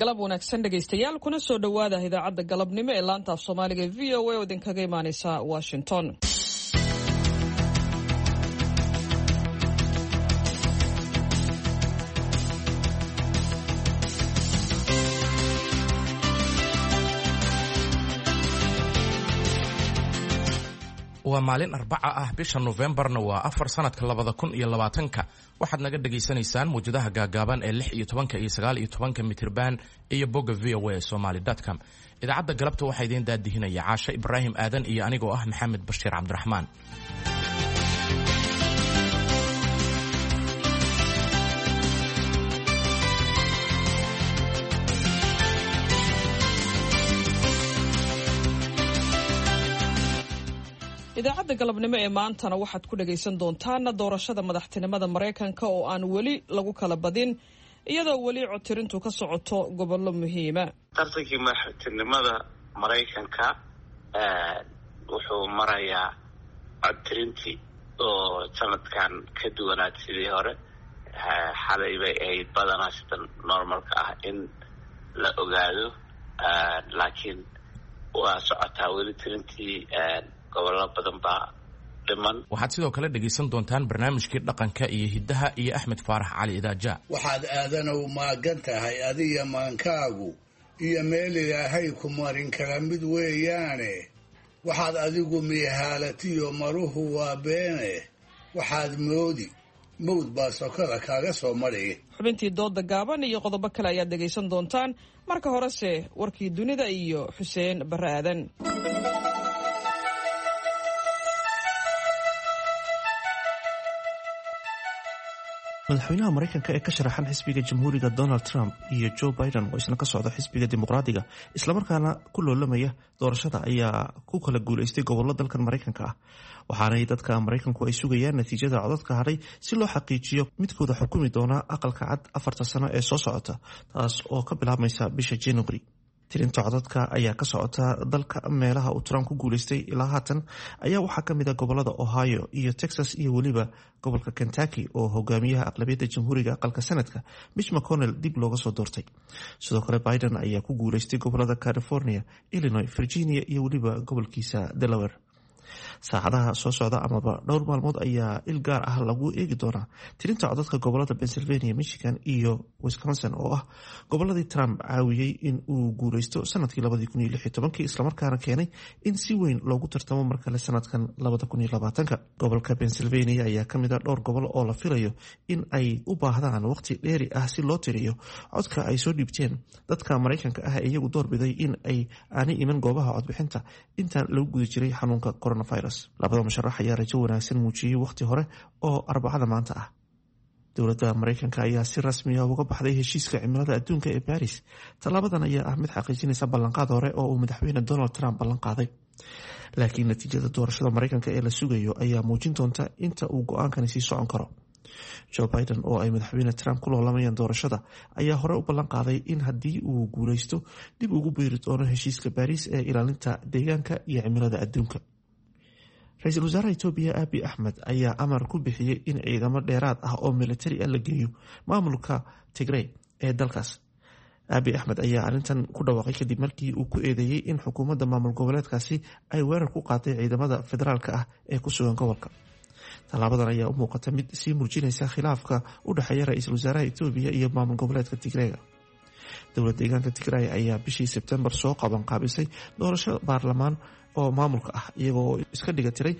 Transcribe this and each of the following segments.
Galab wanaagsan dhegaystayaal, kuna soo dhowaada idaacadda galabnimo ee laanta af Soomaaliga ee VOA oo idinkaga imaaneysa Washington. Waa maalin Arbaca ah, bisha Nofembarna waa 4, sanadka 2020-ka. Waxaad naga dhagaysanaysaan mawjadaha gaagaaban ee 16-ka iyo 19-ka mitirban iyo bogga VOA Somaly com. Idaacadda galabta waxaa idiin daadihinaya Caashe Ibraahim Aadan iyo anigoo ah Maxamed Bashiir Cabdiraxmaan. Idaacadda galabnimo ee maantana waxaad ku dhagaysan doontaan doorashada madaxtinimada Maraykanka oo aan weli lagu kala badin, iyadoo weli codtirintu ka socoto gobollo muhiima. Tartankii madaxtinimada Maraykanka wuxuu marayaa codtirintii oo sanadkan ka duwanaad sidii hore. Xalay bay ahayd badanaa sida normalka ah in la ogaado, laakiin waa socotaa weli tirintii, gobollo badan baa dhiman. Waxaad sidoo kale dhegaysan doontaan barnaamijkii dhaqanka iyo hiddaha iyo Axmed Faarax Cali Idaaja. Waxaad aadanow maagan tahay adiga maankaagu iyo meel Ilaahay ku marin kala mid weeyaane. Waxaad adigu miihaalatiyo maruhu waa beene, waxaad moodi mawd baa sokada kaaga soo maraya. Xubintii dooda gaaban iyo qodobo kale ayaad dhegaysan doontaan. Marka horese warkii dunida iyo Xuseen Barre Aadan. Madaxweynaha Maraykanka ee ka sharaxan xisbiga Jamhuuriga Donald Trump iyo Joe Biden oo isna ka socda xisbiga Dimuqraadiga islamarkaana ku loolamaya doorashada ayaa ku kala guuleystay gobollo dalkan Maraykanka ah, waxaanay dadka Maraykanku ay sugayaan natiijada codadka hadhay si loo xaqiijiyo midkooda xukumi doona Aqalka Cad 4-ta sano ee soo socota, taas oo ka bilaabmaysa bisha January. Tirinta codadka ayaa ka socota dalka. Meelaha uu Trump ku guuleystay ilaa haatan ayaa waxaa kamid a gobolada Ohio iyo Texas iyo weliba gobolka Kentucky oo hogaamiyaha aqlabiyadda Jamhuuriga aqalka Sanadka Mitch McConnell dib looga soo doortay. Sidoo kale Biden ayaa ku guuleystay gobolada California, Illinois, Virginia iyo weliba gobolkiisa Delaware. Saacadaha soo socda amaba dhowr maalmood ayaa il gaar ah lagu eegi doonaa tirinta codadka gobolada Pennsylvania, Michigan iyo Wisconsin oo ah goboladii Trump caawiyey in uu guuleysto sanadkii 2016-kii, islamarkaana keenay in si weyn loogu tartamo mar kale sanadkan 2020-ka. Gobolka Pennsylvania ayaa kamid a dhowr gobol oo la filayo in ay u baahdaan waqti dheeri ah si loo tiriyo codka ay soo dhiibteen dadka Maraykanka ah ee iyagu doorbiday in ay aanay iman goobaha codbixinta intaan lagu guda jiray xanuunka coronavirus. Labada musharax ayaa rajo wanaagsan muujiyey waqti hore oo Arbacada maanta ah. Dowladda Maraykanka ayaa si rasmi ah uga baxday heshiiska cimilada adduunka ee Baris. Tallaabadan ayaa ah mid xaqiijinaysa ballanqaad hore oo uu madaxweyne Donald Trump ballanqaaday, laakiin natiijada doorashada Maraykanka ee la sugayo ayaa muujin doonta inta uu go-aankani sii socon karo. Joe Biden oo ay madaxweyne Trump ku loolamayaan doorashada ayaa hore u ballan qaaday in haddii uu guuleysto dib ugu biiri doono heshiiska Baariis ee ilaalinta deegaanka iyo cimilada adduunka. Ra-iisul wasaaraha Itoobiya Abi Axmed ayaa amar ku bixiyey in ciidamo dheeraad ah oo militari ah la geeyo maamulka Tigrey ee dalkaas. Abi Axmed ayaa arrintan ku dhawaaqay kadib markii uu ku eedeeyey in xukuumadda maamul goboleedkaasi ay weerar ku qaaday ciidamada federaalka ah ee ku sugan gobolka. Tallaabadan ayaa u muuqata mid sii muujinaysa khilaafka u dhexeeya ra-iisul wasaaraha Itoobiya iyo maamul goboleedka Tigreega. Dowlad deegaanka Tigray ayaa bishii Sebtembar soo qaban qaabisay doorasho baarlamaan oo maamulka ah, iyagoo iska dhiga tiray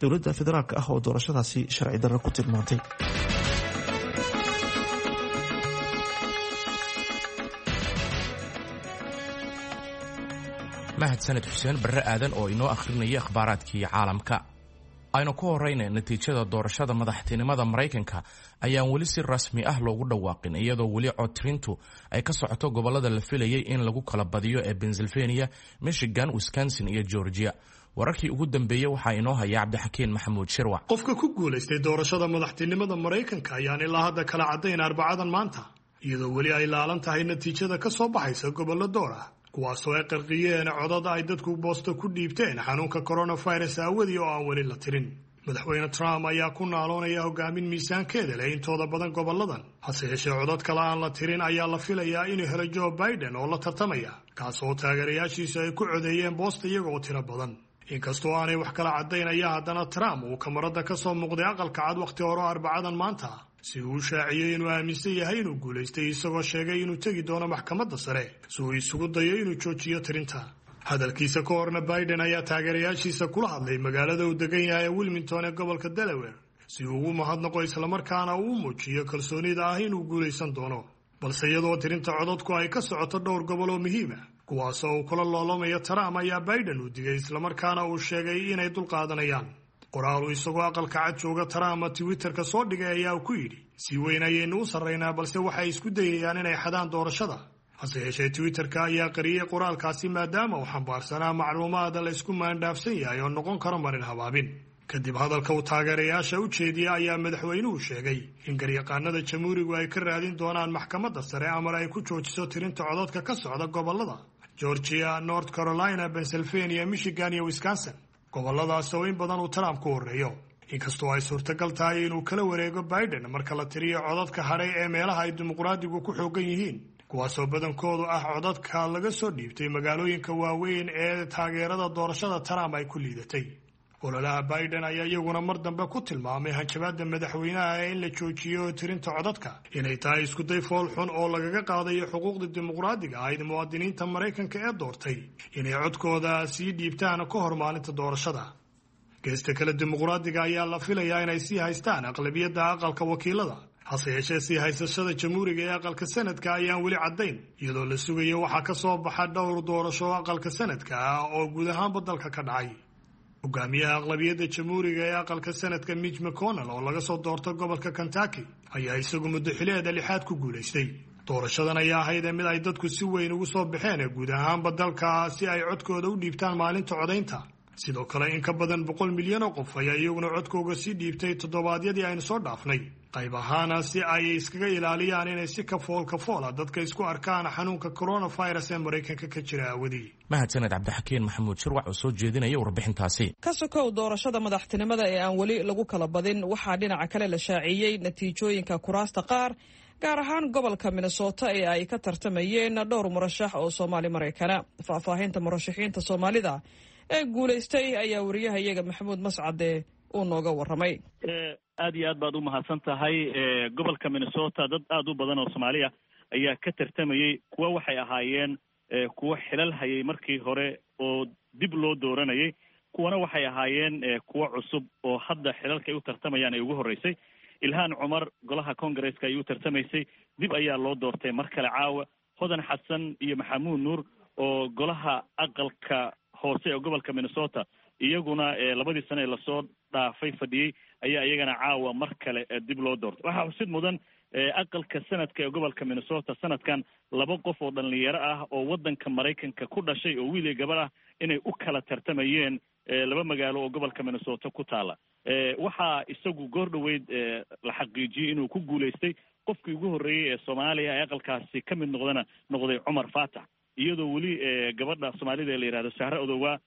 dowladda federaalka ah oo doorashadaasi sharci darro ku tilmaantay. Mahadsaned Xuseen Barre Aadan oo inoo akhrinaya akhbaaraadkii caalamka. Aynu ku horeyna, natiijada doorashada madaxtinimada Maraykanka ayaan weli si rasmi ah loogu dhawaaqin, iyadoo weli codtirintu ay ka socoto gobolada la filayay in lagu kala badiyo ee Pennsylvania, Michigan, Wisconsin iyo Georgia. Wararkii ugu dambeeyey waxaa inoo haya Cabdixakiin Maxamuud Shirwac. Qofka ku guulaystay doorashada madaxtinimada Maraykanka ayaan ilaa hadda kala caddayn Arbacadan maanta, iyadoo weli ay laalan tahay natiijada ka soo baxaysa gobollo door ah, kuwaasoo ay qarqiyeen codada ay dadku boosto ku dhiibteen xanuunka coronavirus aawadii oo aan weli la tirin. Madaxweyne Trump ayaa ku naaloonaya hogaamin miisaankeeda leh intooda badan gobolladan. Hase yeeshee, codad kale aan la tirin ayaa la filayaa inuu helo Joe Biden oo la tartamaya, kaas oo taageerayaashiisu ay ku codeeyeen boosta iyaga oo tiro badan. Inkastoo aanay wax kala caddayn ayaa haddana Trump uu kamarada ka soo muuqday Aqalka Cad wakhti hore oo Arbacadan maanta si uu u shaaciyey inuu aaminsan yahay inuu guulaystay, isagoo sheegay inuu tegi doono maxkamadda sare si uu isugu dayo inuu joojiyo tirinta. Hadalkiisa ka horna Biden ayaa taageerayaashiisa kula hadlay magaalada uu degan yahay ee Wilmington ee gobolka Delaware si uu ugu mahadnaqo, islamarkaana uu u muujiyo kalsoonida ah inuu guulaysan doono. Balse iyadoo tirinta codadku ay ka socoto dhowr gobol oo muhiim ah, kuwaasoo uu kula loolamayo Trump, ayaa Biden uu digay, islamarkaana uu sheegay inay dulqaadanayaan. Qoraal uu isagoo Aqalka Cad jooga Trump Twitterka soo dhigay ayaa uu ku yidhi: "Si weyn ayaynu u sarraynaa, balse waxay isku dayayaan inay xadaan doorashada." Hase yeeshee, Twitterka ayaa qariyey qoraalkaasi maadaama uu xambaarsanaa macluumaad la isku maandhaafsan yahay oo noqon karo marin habaabin. Kadib hadalka uu taageerayaasha u jeediyey ayaa madaxweynuhu sheegay in garyaqaanada Jamhuurigu ay ka raadin doonaan maxkamadda sare amar ay ku joojiso tirinta codadka ka socda gobollada Georgia, North Carolina, Pennsylvania, Michigan iyo Wisconsin, gobolladaas oo in badan uu Trump ku horreeyo. Inkastoo ay suurtagal tahay inuu kala wareego Biden marka la tiriyo codadka hadhay ee meelaha ay dimuqraadigu ku xoogan yihiin, kuwaasoo badankoodu ah codadka laga soo dhiibtay magaalooyinka waaweyn ee taageerada doorashada Trump ay ku liidatay. Ololaha Biden ayaa iyaguna mar dambe ku tilmaamay hanjabaadda madaxweynaha ee in la joojiyo tirinta codadka inay tahay iskuday fool xun oo lagaga qaadayo xuquuqda dimuqraadiga ahayd muwaadiniinta Maraykanka ee doortay inay codkooda sii dhiibtaan ka hor maalinta doorashada. Geesta kale, dimuqraadiga ayaa la filayaa inay sii haystaan aqlabiyadda Aqalka Wakiilada. Hase yeeshee, sii haysashada Jamhuuriga ee Aqalka Sanadka ayaan weli caddayn, iyadoo la sugayo waxaa ka soo baxa dhowr doorasho oo Aqalka Sanadka ah oo guud ahaanba dalka ka dhacay. Hogaamiyaha aqlabiyadda Jamhuuriga ee Aqalka Sanadka, Mitch McConnell, oo laga soo doorto gobolka Kentucky, ayaa isagu muddo xileeda lixaad ku guulaystay. Doorashadan ayaa ahayd mid ay dadku si weyn ugu soo baxeen ee guud ahaanba dalka si ay codkooda u dhiibtaan maalinta codaynta. Sidoo kale, in ka badan 100 milyan oo qof ayaa iyaguna codkooga sii dhiibtay toddobaadyadii aynu soo dhaafnay, qayb ahaana si ay iskaga ilaaliyaan inay si kafool kafoola dadka isku arkaan xanuunka coronavirus ee Maraykanka ka jira aawadii. Mahadsaned Cabdixakiin Maxamuud Shirwac oo soo jeedinaya warbixintaasi. Ka sokow doorashada madaxtinimada ee aan weli lagu kala badin, waxaa dhinaca kale la shaaciyey natiijooyinka kuraasta qaar, gaar ahaan gobolka Minnesota ee ay ka tartamayeen dhowr murashax oo Soomaali Maraykana. Faahfaahinta murashaxiinta Soomaalida ee guulaystay ayaa wariyaha iyaga Maxamuud Mascade uu nooga warramay. Aad iyo aad baad u mahadsan tahay. Gobolka Minnesota dad aada u badan oo Soomaaliya ayaa ka tartamayey. Kuwa waxay ahaayeen kuwo xilal hayay markii hore oo dib loo dooranayay, kuwana waxay ahaayeen kuwo cusub oo hadda xilalka ay u tartamayaan ay ugu horreysay. Ilhaan Cumar golaha Congaresska ay u tartamaysay, dib ayaa loo doortay mar kale caawa. Hodan Xasan iyo Maxamuud Nuur oo golaha aqalka hoose ee gobolka Minnesota iyaguna labadii sano ee lasoo dhaafay fadhiyey ayaa iyagana caawa mar kale dib loo doortay. Waxaa xusid mudan aqalka sanadka ee gobolka Minnesota sanadkan laba qof oo dhalinyaro ah oo waddanka Maraykanka ku dhashay oo wiil iyo gabar ah inay u kala tartamayeen laba magaalo oo gobolka Minnesota ku taala. Waxaa isagu goor dhoweyd la xaqiijiyey inuu ku guulaystay qofkii ugu horreeyey ee Soomaaliya ee aqalkaasi ka mid noqdana noqday Cumar Faatax, iyadoo weli gabadha Soomaalida ee la yihahdo Sahre Odowaa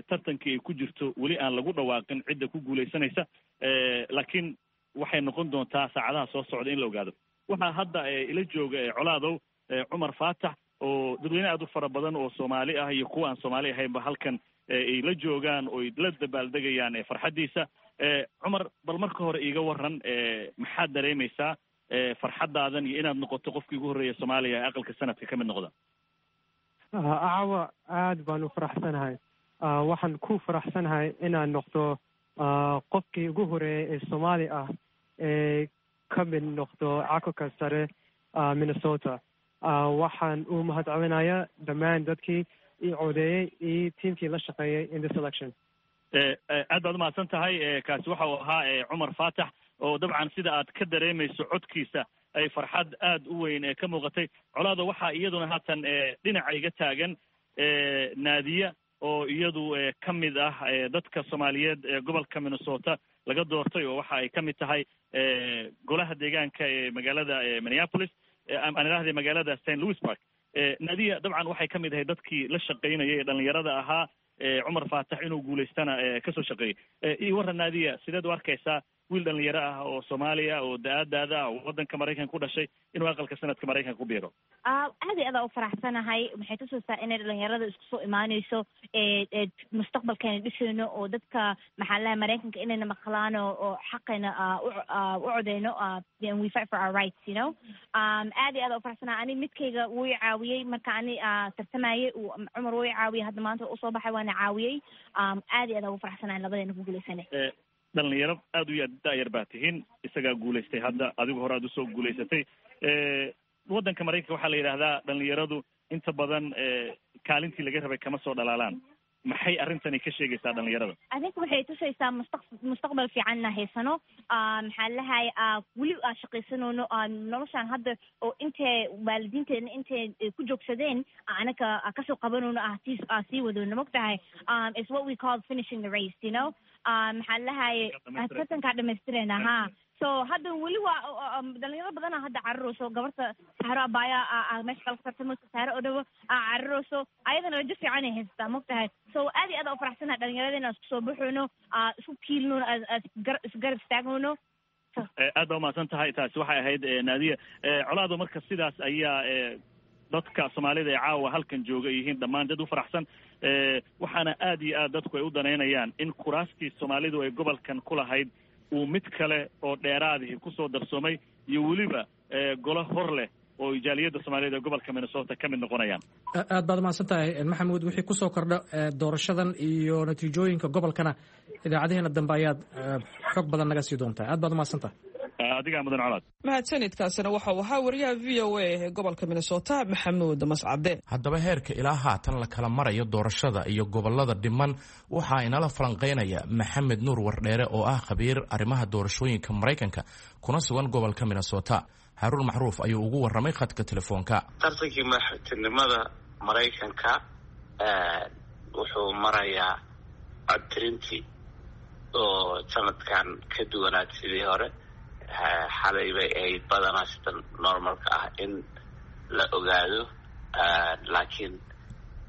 tartankii ay ku jirto weli aan lagu dhawaaqin cidda ku guulaysanaysa, laakiin waxay noqon doontaa saacadaha soo socda in la ogaado. Waxaa hadda ila jooga, Colaadow, Cumar Faatax oo dadweyne aad u fara badan oo Soomaali ah iyo kuwa aan Soomaali ahaynba halkan ay la joogaan oo ay la dabaaldegayaan farxaddiisa. Cumar, bal marka hore iiga waran, maxaad dareemaysaa farxaddaadan iyo inaad noqoto qofkii ugu horreeya Soomaaliya ee aqalka sanadka ka mid noqda? Caawa aad baan u faraxsanahay. Waxaan ku faraxsanahay inaan noqdo qofkii ugu horeeyay ee Soomaali ah ee ka mid noqdo aqalka sare Minnesota. Waxaan u mahadcelinayaa dhammaan dadkii ii codeeyey iyo tiimkii la shaqeeyey in this election. Aad baad umahadsan tahay. Kaasi waxa uu ahaa Cumar Faatax oo dabcan sida aad ka dareemayso codkiisa ay farxad aad u weyn ee ka muuqatay. Colaada, waxaa iyaduna haatan dhinaca iga taagan Naadiya oo iyadu ka mid ah dadka Soomaaliyeed ee gobolka Minnesota laga doortay, oo waxa ay ka mid tahay golaha deegaanka ee magaalada Minneapolis, aan idhahday magaalada St. Louis Park. Naadiya dabcan waxay ka mid ahay dadkii la shaqaynayay ee dhalinyarada ahaa. Cumar Faatax inuu guulaystana kasoo shaqeeyey. Ii warran Naadiya, sideed u arkaysaa wiil dhalinyaro ah oo Soomaaliya oo da-aadaada ah oo waddanka Maraykanka ku dhashay inuu aqalka sanadka Maraykanka ku biiro? Aad iyo aad aa u faraxsanahay. Waxay tusaysaa inay dhalinyarada isku soo imaaneyso, mustaqbalkeena dhisayno, oo dadka maxaa lahay Maraykanka inayna maqlaan oo xaqayna u codeyno, and we fight for our rights. Aad iyo aad aa u faraxsanahay. Ani midkayga wuu i caawiyey marka ani tartamayay. Cumar wuu i caawiyey, hadda maanta usoo baxay waana caawiyey. Aad iyo aad aa ugu faraxsanahay labadeena ku guuleysanay. Dhalinyaro aada u da-yar baa tihiin. Isagaa guulaystay hadda, adigu hore aad usoo guulaysatay. Waddanka Maraykanka waxaa la yidhaahdaa dhalinyaradu inta badan kaalintii laga rabay kama soo dhalaalaan. Maxay arrintani ka sheegaysaa dhalinyarada? Adinka waxay tusaysaa mustaqbal fiicanna haysano, maxaa lahay, weli aa shaqaysanoono noloshaan hadda oo intay waalidiinteena intay ku joogsadeen anaka kasoo qabanoono, ah sii wadoono, mogtahay. Is what we call finishing the race, maxaa lahay, tartankaa dhamaystirayna ha. So hadda weli waa dhalinyaro badana hadda cararayso. Gabarta Saxro Abaya meesha kala tartamayso, Saxro oo dhawo cararayso, ayadana rajo fiican ay haysataa, mogtahay. So aad iyo aad aa u faraxsanahay dhalinyarada inaan isku soo baxayno, isku kiilno, isgarab istaagno. Aad baa umahadsan tahay. Taasi waxay ahayd Naadiya Colaado. Marka sidaas ayaa dadka Soomaalida ee caawa halkan jooga yihiin dhammaan dad u faraxsan, waxaana aad iyo aad dadku ay u danaynayaan in kuraastii Soomaalidu ay gobolkan ku lahayd uu mid kale oo dheeraadihi kusoo darsoomay, iyo weliba golo hor leh oo jaaliyadda Soomaaliyed ee gobolka Minnesota ka mid noqonayaan. Aad baad umahadsan tahay, Maxamuud. Wixii kusoo kordha doorashadan iyo natiijooyinka gobolkana idaacadaheena dambe ayaad xog badan naga sii doontaa. Aad baad umahadsan tahay. Adigaa mudan, Colaad. Mahadsanidkaasina waxau ahaa wariyaha VOA ee gobolka Minnesota, Maxamuud Mascade. Haddaba heerka ilaa haatan la kala marayo doorashada iyo gobolada dhiman waxaa inala falanqeynaya Maxamed Nuur Wardheere oo ah khabiir arrimaha doorashooyinka Maraykanka kuna sugan gobolka Minnesota. Haruun Macruuf ayuu ugu warramay khadka telefoonka. Tartankii madaxtinimada Maraykanka wuxuu marayaa codtirintii oo sanadkan ka duwanaad sidii hore. Xalay bay ahayd badanaa sida normalka ah in la ogaado, laakiin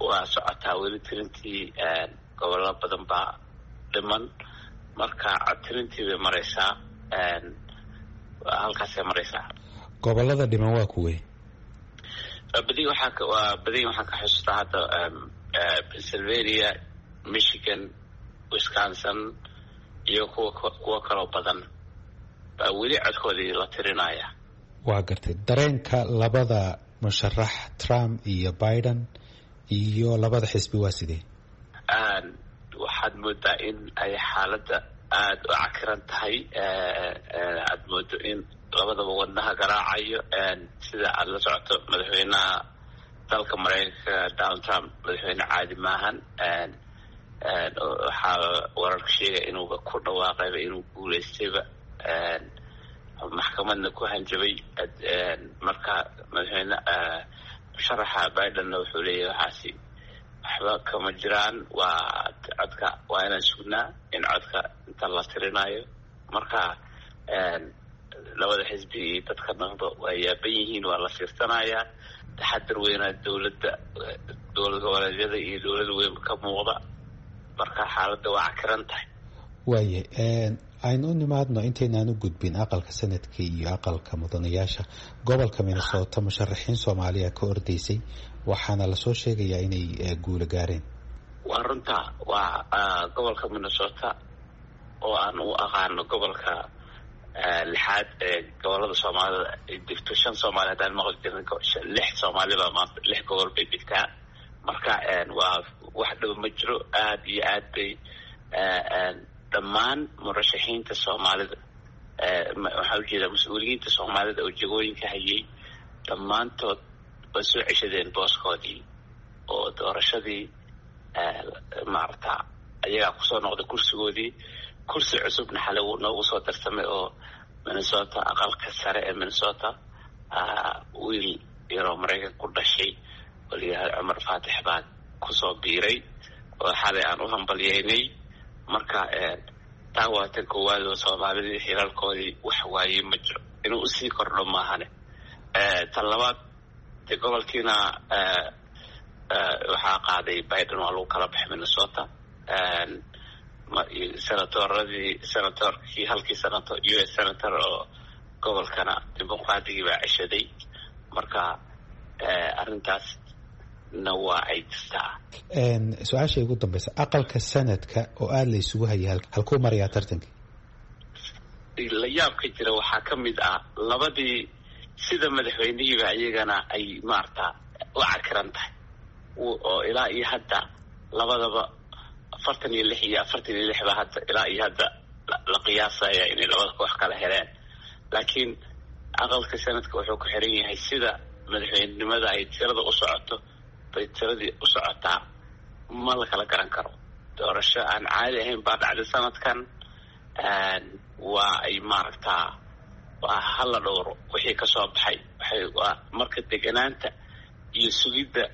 waa socotaa weli tirintii. Gobollo badan baa dhiman, marka codtirintii bay maraysaa, halkaasay maraysaa. Gobolada dhiman waa kuwey? Badi waxaa waa badi waxaan ka xusuustaa hadda Pennsylvania, Michigan, Wisconsin iyo kuwa kaloo badan baa weli codkoodii la tirinaya. Waa gartay. Dareenka labada musharax, Trump iyo Biden, iyo labada xisbi waa sidee? Waxaad moodaa in ay xaaladda aada u cakiran tahay. Aad moodo in labadaba wadnaha garaacayo. Sida aada la socoto, madaxweynaha dalka Maraykanka Donald Trump madaxweyne caadi maahan. Waxaa wararka sheegaya inuuba ku dhawaaqayba inuu guulaystayba, maxkamadna ku hanjabay. Marka madaxweyne musharaxa Bidenna wuxuu leeyahay waxaasi waxba kama jiraan, waa codka waa inaan sugnaa in codka inta la tirinayo. Marka labada xisbi iyo dadka dhanba waa yaaban yihiin, waa la fiirsanayaa. Taxadar weynaa dowladda, dowlad goboleedyada iyo dowlada weyn ka muuqda. Marka xaaladda waa cakiran tahay. Waaye, aynu u nimaadno intaynaan u gudbin aqalka sanadka iyo aqalka mudanayaasha. Gobolka Minnesota musharaxiin Soomaaliya ka ordaysay, waxaana lasoo sheegayaa inay guulo gaareen. Waa runta. Waa gobolka Minnesota oo aan u aqaano gobolka lixaad ee gobolada Soomaalida ay degto. Shan Soomaali haddaan maqli jirin, lix Soomaalibaa maanta lix gobol bay degtaa. Marka waa wax dhaba ma jiro. Aada iyo aad bay dhammaan murashaxiinta Soomaalida, waxaa ujeedaa mas-uuliyiinta Soomaalida oo jegooyinka hayay, dhammaantood way soo ceshadeen booskoodii oo doorashadii maarata ayagaa kusoo noqday kursigoodii. Kursi cusubna xalay noogu soo darsamay oo Minnesota, aqalka sare ee Minnesota, wiil yaroo Maraykan ku dhashay oo la yihahdo Cumar Faatix baa kusoo biiray oo xalay aan u hambalyeynay. Marka taa waa tan koowaad oo Soomaalidii xilalkoodii wax waayey ma jiro, inuu usii kordho maahane. Tan labaad dee gobolkiina Waxaa qaaday Biden, waa lagu kala baxay Minnesota. Senatoradii, senatorkii, halkii senator, US senator oo gobolkana Dimuqraadigii baa ceshaday. Marka arrintaasna waa ay jirtaa. Su-aasha ugu dambeysa, aqalka sanadka oo aada la isugu hayay, halkuu marayaa tartanka? La yaabka jira waxaa ka mid ah labadii sida madaxweynihiiba iyagana ay maarata u cakiran tahay, oo ilaa iyo hadda labadaba 46 iyo 46 ba hadda ilaa iyo hadda la qiyaasaya inay labada koox kala heleen. Laakiin aqalka sanadka wuxuu ku xiran yahay sida madaxweynenimada ay tirada u socoto bay tiradii u socotaa, ma la kala garan karo. Doorasho aan caadi ahayn baa dhacday sanadkan. Waa ay maaragtaa, waa hala dhowro wixii kasoo baxay. Waxay waa marka deganaanta iyo sugidda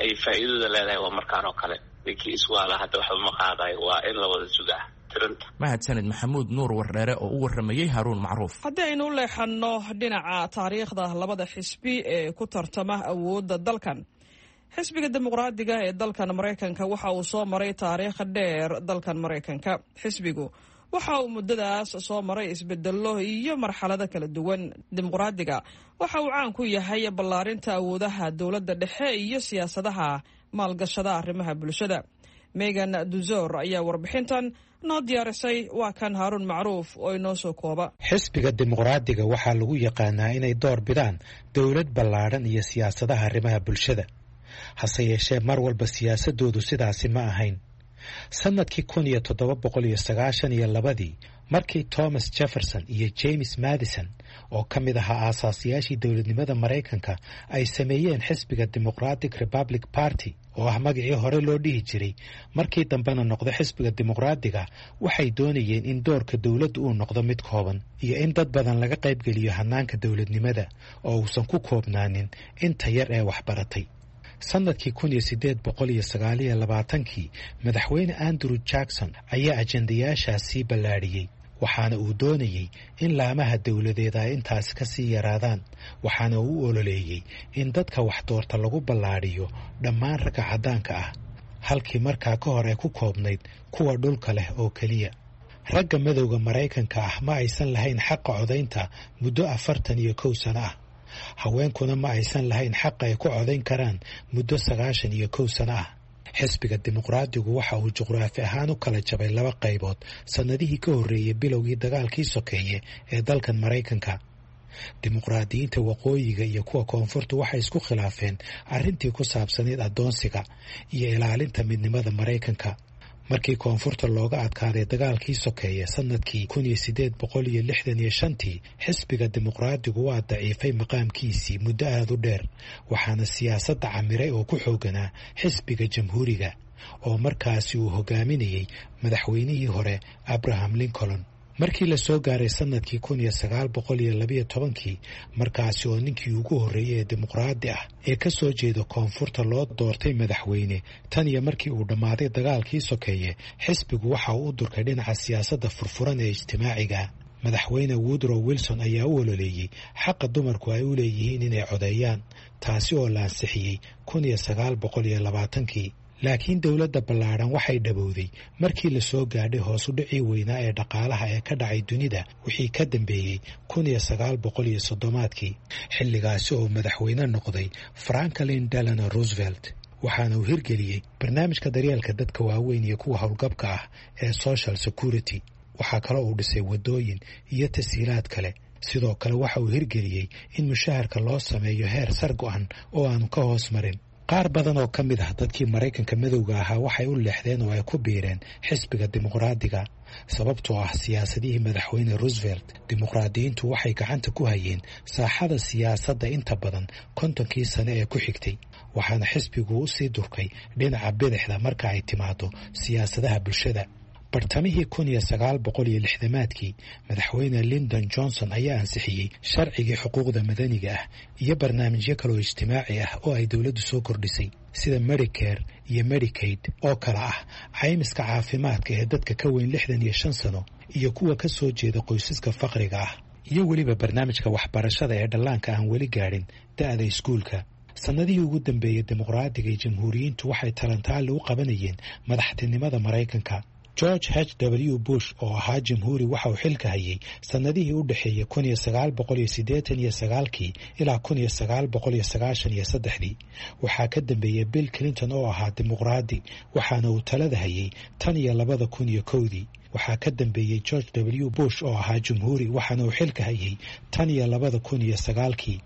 ay faa'iidada leedahay waa markaan oo kale. Ninkii iswaala hadda waxba ma qaadayo, waa in la wada sugaa tirinta. Mahadsaned Maxamuud Nuur Wardheere oo u waramayey Haruun Macruuf. Haddii aynu u leexanno dhinaca taariikhda labada xisbi ee ku tartama awoodda dalkan, xisbiga Dimuqraadiga ee dalkan Maraykanka waxa uu soo maray taariikh dheer dalkan Maraykanka. Xisbigu waxa uu muddadaas soo maray isbedello iyo marxalado kala duwan. Dimuqraadiga waxa uu caan ku yahay ballaarinta awoodaha dowladda dhexe iyo siyaasadaha maalgashada arrimaha bulshada. Megan Duzor ayaa warbixintan noo diyaarisay, waa kan Haaruun Macruuf oo inoo soo kooba. Xisbiga Dimuqraadiga waxaa lagu yaqaanaa inay door bidaan dowlad ballaadhan iyo siyaasadaha arrimaha bulshada. Hase yeeshee, mar walba siyaasadoodu sidaasi ma ahayn. Sannadkii 1792-dii, markii Thomas Jefferson iyo James Madison oo ka mid ahaa aasaasiyaashii dowladnimada Maraykanka ay sameeyeen xisbiga Democratic Republic Party, oo ah magacii hore loo dhihi jiray, markii dambena noqda xisbiga Dimuqraadiga, waxay doonayeen in doorka dowladdu uu noqdo mid kooban iyo in dad badan laga qaybgeliyo hanaanka dowladnimada oo uusan ku koobnaanin inta yar ee waxbaratay. Sannadkii 1829-kii, madaxweyne Andrew Jackson ayaa ajendayaashaas sii ballaadhiyey, waxaana uu doonayey in laamaha dowladeed ay intaas ka sii yaraadaan, waxaana uu u ololeeyey in dadka wax doorta lagu ballaadhiyo dhammaan ragga caddaanka ah, halkii markaa ka hor ay ku koobnayd kuwa dhulka leh oo keliya. Ragga madowga Maraykanka ah ma aysan lahayn xaqa codaynta muddo 41 sano ah. Haweenkuna ma aysan lahayn xaq ay ku codayn karaan muddo 91 sano ah. Xisbiga Dimuqraadigu waxa uu juqraafi ahaan u kala jabay laba qaybood sannadihii ka horreeyey bilowgii dagaalkii sokeeye ee dalkan Maraykanka. Dimuqraadiyiinta waqooyiga iyo kuwa koonfurtu waxay isku khilaafeen arrintii ku saabsanayd addoonsiga iyo ilaalinta midnimada Maraykanka. Markii koonfurta looga adkaaday dagaalkii sokeeye sannadkii 1865-tii, xisbiga Dimuqraadigu waa daciifay maqaamkiisii muddo aada u dheer, waxaana siyaasadda camiray oo ku xooganaa xisbiga Jamhuuriga oo markaasi uu hogaaminayey madaxweynihii hore Abraham Lincoln. Markii la soo gaaray sannadkii 1912-kii, markaasi oo ninkii ugu horreeyey ee dimuqraadi ah ee ka soo jeeda koonfurta loo doortay madaxweyne tan iyo markii uu dhammaaday dagaalkii sokeeye, xisbigu waxa uu u durkay dhinaca siyaasadda furfuran ee ijtimaaciga. Madaxweyne Woodrow Wilson ayaa u ololeeyey xaqa dumarku ay u leeyihiin inay codeeyaan, taasi oo la ansixiyey 1920-kii. Laakiin dowladda ballaadhan waxay dhabowday markii la soo gaadhay hoosu dhicii weynaa ee dhaqaalaha ee ka dhacay dunida wixii ka dambeeyey 1930-aadkii, xilligaasi oo madaxweyne noqday Franklin Delano Roosevelt, waxaana uu hirgeliyey barnaamijka daryeelka dadka waaweyn iyo kuwa howlgabka ah ee Social Security. Waxaa kaloo uu dhisay waddooyin iyo tasiilaad kale. Sidoo kale waxa uu hirgeliyey in mushaharka loo sameeyo heer sar go-an oo aanu ka hoos marin. Qaar badan oo ka mid ah dadkii Maraykanka madowga ahaa waxay u leexdeen oo ay ku biireen xisbiga Dimuqraadiga sababtoo ah siyaasadihii madaxweyne Roosevelt. Dimuqraadiyiintu waxay gacanta ku hayeen saaxada siyaasadda inta badan 50-kii sane ee ku xigtay, waxaana xisbigu u sii durkay dhinaca bidixda marka ay timaado siyaasadaha bulshada. Bartamihii 1960-aadkii, madaxweyne Lyndon Johnson ayaa ansixiyey sharcigii xuquuqda madaniga ah iyo barnaamijyo kaloo ijtimaaci ah oo ay dowladdu soo kordhisay, sida Medicare iyo Medicaid oo kale ah caymiska caafimaadka ee dadka ka weyn 65 sano iyo kuwa ka soo jeeda qoysaska faqriga ah, iyo weliba barnaamijka waxbarashada ee dhallaanka aan weli gaadhin da'da iskuulka. Sannadihii ugu dambeeyey dimuqraadiga iyo jamhuuriyiintu waxay talantaali u qabanayeen madaxtinimada Maraykanka. George H W Bush oo ahaa jamhuuri waxa uu xilka hayay sannadihii u dhexeeyey 1989-kii ilaa 1993-dii. Waxaa ka dambeeyey Bill Clinton oo ahaa dimuqraadi, waxaana uu talada hayay tan iyo 2001-dii. Waxaa ka dambeeyey George W Bush oo ahaa jamhuuri, waxaana uu xilka hayay tan iyo 2009-kii.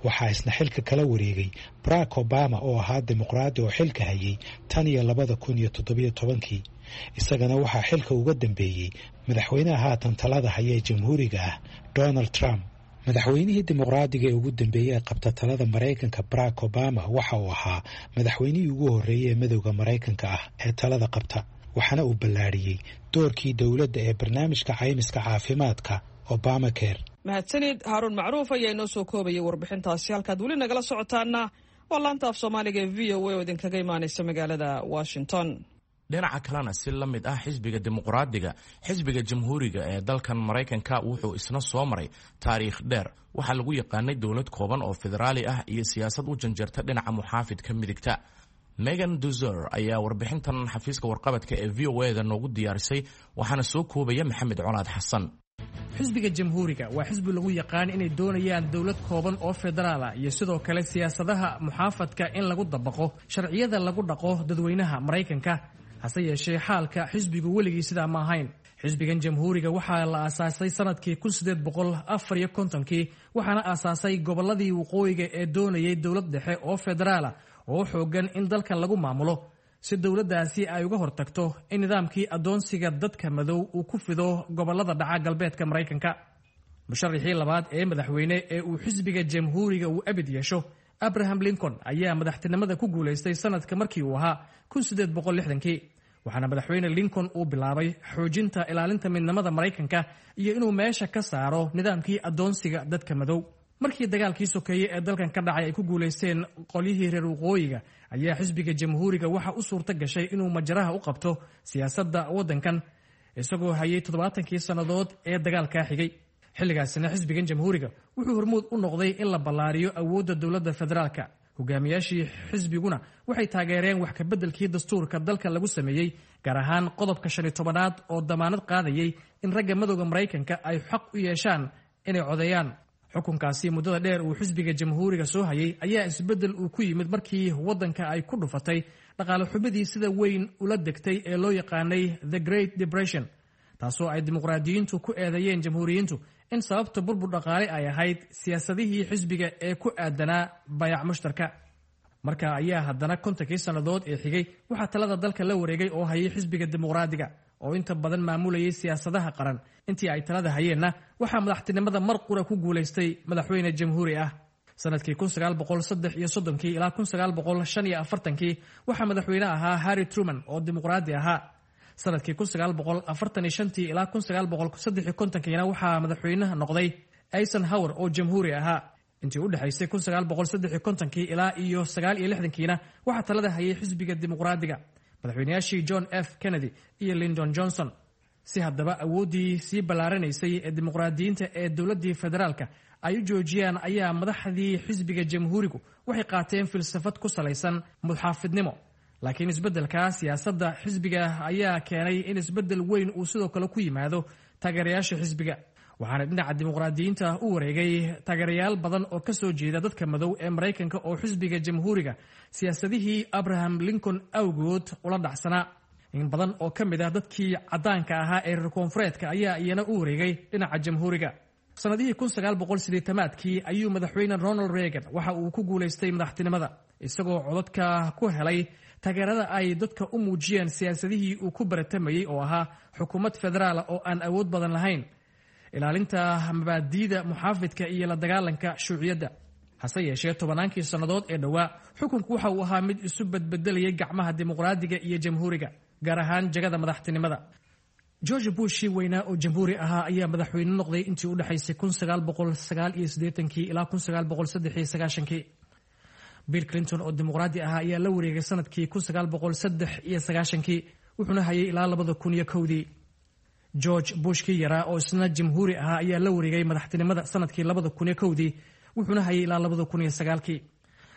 Waxaa isna xilka kala wareegay Barack Obama oo ahaa dimuqraadi oo xilka hayay tan iyo 2017-kii. Isagana waxaa xilka uga dambeeyey madaxweynaha haatan talada haya ee jamhuuriga ah, Donald Trump. Madaxweynihii dimuqraadiga ee ugu dambeeyey ee qabta talada Maraykanka, Barack Obama, waxa uu ahaa madaxweynihii ugu horreeyey ee madowda Maraykanka ah ee talada qabta, waxaana uu ballaadhiyey doorkii dowladda ee barnaamijka caymiska caafimaadka Obamacare. Mahadsanid Haaruun Macruuf ayaa inoo soo koobayay warbixintaasi. Halkaad weli nagala socotaana waa laanta af Soomaaliga ee VOA oo idinkaga imaanaysa magaalada Washington. Dhinaca kalena, si la mid ah xisbiga dimuqraadiga, xisbiga jamhuuriga ee dalkan Maraykanka wuxuu isna soo maray taariikh dheer. Waxaa lagu yaqaanay dowlad kooban oo federaali ah iyo siyaasad u janjeerta dhinaca muxaafidka midigta. Megan Duzer ayaa warbixintan xafiiska warqabadka ee VOA da noogu diyaarisay, waxaana soo koobaya Maxamed Colaad Xasan. Xisbiga Jamhuuriga waa xisbi lagu yaqaan inay doonayaan dowlad kooban oo federaal ah iyo sidoo kale siyaasadaha muxaafadka in lagu dabaqo sharciyada lagu dhaqo dadweynaha Maraykanka. Hase yeeshee, xaalka xisbigu weligii sidaa ma ahayn. Xisbigan Jamhuuriga waxaa la aasaasay sanadkii 1854-kii, waxaana aasaasay gobolladii waqooyiga ee doonayay dowlad dhexe oo federaala oo xoogan in dalka lagu maamulo, si dowladdaasi ay uga hortagto in nidaamkii addoonsiga dadka madow uu ku fido gobollada dhaca galbeedka Maraykanka. Musharaxii labaad ee madaxweyne ee uu xisbiga Jamhuuriga uu abid yeesho, Abraham Lincoln, ayaa madaxtinimada ku guulaystay sanadka markii uu ahaa 1860-kii, waxaana madaxweyne Lincoln uu bilaabay xoojinta ilaalinta midnimada Maraykanka iyo inuu meesha ka saaro nidaamkii addoonsiga dadka madow. Markii dagaalkii sokeeye ee dalkan ka dhacay ay ku guulaysteen qolyihii reer waqooyiga, ayaa xisbiga Jamhuuriga waxa u suurto gashay inuu majaraha u qabto siyaasadda waddankan, isagoo hayay 70-kii sannadood ee dagaalkaa xigay. Xilligaasina xisbigan Jamhuuriga wuxuu hormuud u noqday in la ballaariyo awoodda dowladda federaalka. Hogaamiyaashii xisbiguna waxay taageereen wax kabeddelkii dastuurka dalka lagu sameeyey, gaar ahaan qodobka 15-aad oo damaanad qaadayay in ragga madowda Maraykanka ay xaq u yeeshaan inay codeeyaan. Xukunkaasi muddada dheer uu xisbiga Jamhuuriga soo hayay ayaa isbeddel uu ku yimid markii waddanka ay ku dhufatay dhaqaale xumidii sida weyn ula degtay ee loo yaqaanay The Great Depression, taasoo ay dimuqraadiyiintu ku eedeeyeen jamhuuriyiintu in sababta burbur dhaqaale ay ahayd siyaasadihii xisbiga ee ku aadanaa bayac mushtarka. Marka ayaa haddana 50-kii sannadood ee xigay waxaa talada dalka la wareegay oo hayay xisbiga Dimuqraadiga oo inta badan maamulayay siyaasadaha qaran. Intii ay talada hayeenna waxaa madaxtinimada mar qura ku guulaystay madaxweyne jamhuuri ah. Sanadkii 1933-kii ilaa 1945-kii waxaa madaxweyne ahaa Harry Truman oo dimuqraadi ahaa. Sanadkii 1945-tii ilaa 1953-kiina waxaa madaxweynaha noqday Eisenhower oo jamhuuri ahaa. Intii u dhexaysay 1953-kii ilaa iyo 69-kiina waxaa talada hayay xisbiga Dimuqraadiga, madaxweynayaashii John F Kennedy iyo Lyndon Johnson. Si haddaba awooddii sii ballaaranaysay ee dimuqraadiyiinta ee dowladdii federaalka ay u joojiyaan, ayaa madaxdii xisbiga Jamhuurigu waxay qaateen filsafad ku salaysan muxaafidnimo. Laakiin isbeddelka siyaasadda xisbiga ayaa keenay in isbeddel weyn uu sidoo kale ku yimaado taageerayaasha xisbiga, waxaana dhinaca dimuqraadiyiinta u wareegay taageerayaal badan oo kasoo jeeda dadka madow ee Maraykanka oo xisbiga Jamhuuriga siyaasadihii Abraham Lincoln awgood ula dhacsanaa. In badan oo ka mid ah dadkii caddaanka ahaa ee reer koonfureedka ayaa iyana u wareegay dhinaca Jamhuuriga. Sanadihii 1980-aadkii ayuu madaxweyne Ronald Reagan waxa uu ku guulaystay madaxtinimada, isagoo codadka ku helay taageerada ay dadka u muujiyeen siyaasadihii uu ku baratamayey oo ahaa xukuumad federaala oo aan awood badan lahayn, ilaalinta mabaadiida muxaafidka iyo la dagaalanka shuuciyadda. Hase yeeshee, tobannaankii sannadood ee dhowaa xukunku waxa uu ahaa mid isu bedbedelayay gacmaha dimuqraadiga iyo jamhuuriga, gaar ahaan jagada madaxtinimada. George Bushii weynaa oo jamhuuri ahaa ayaa madaxweyne noqday intii u dhexaysay 1989-kii ilaa 1993-kii. Bill Clinton oo dimuqraadi ahaa ayaa la wareegay sanadkii 1993-kii, wuxuuna hayay ilaa 2001-dii. George Bush kii yaraa oo isna jamhuuri ahaa ayaa la wareegay madaxtinimada sanadkii 2001-dii, wuxuuna hayay ilaa 2009-kii.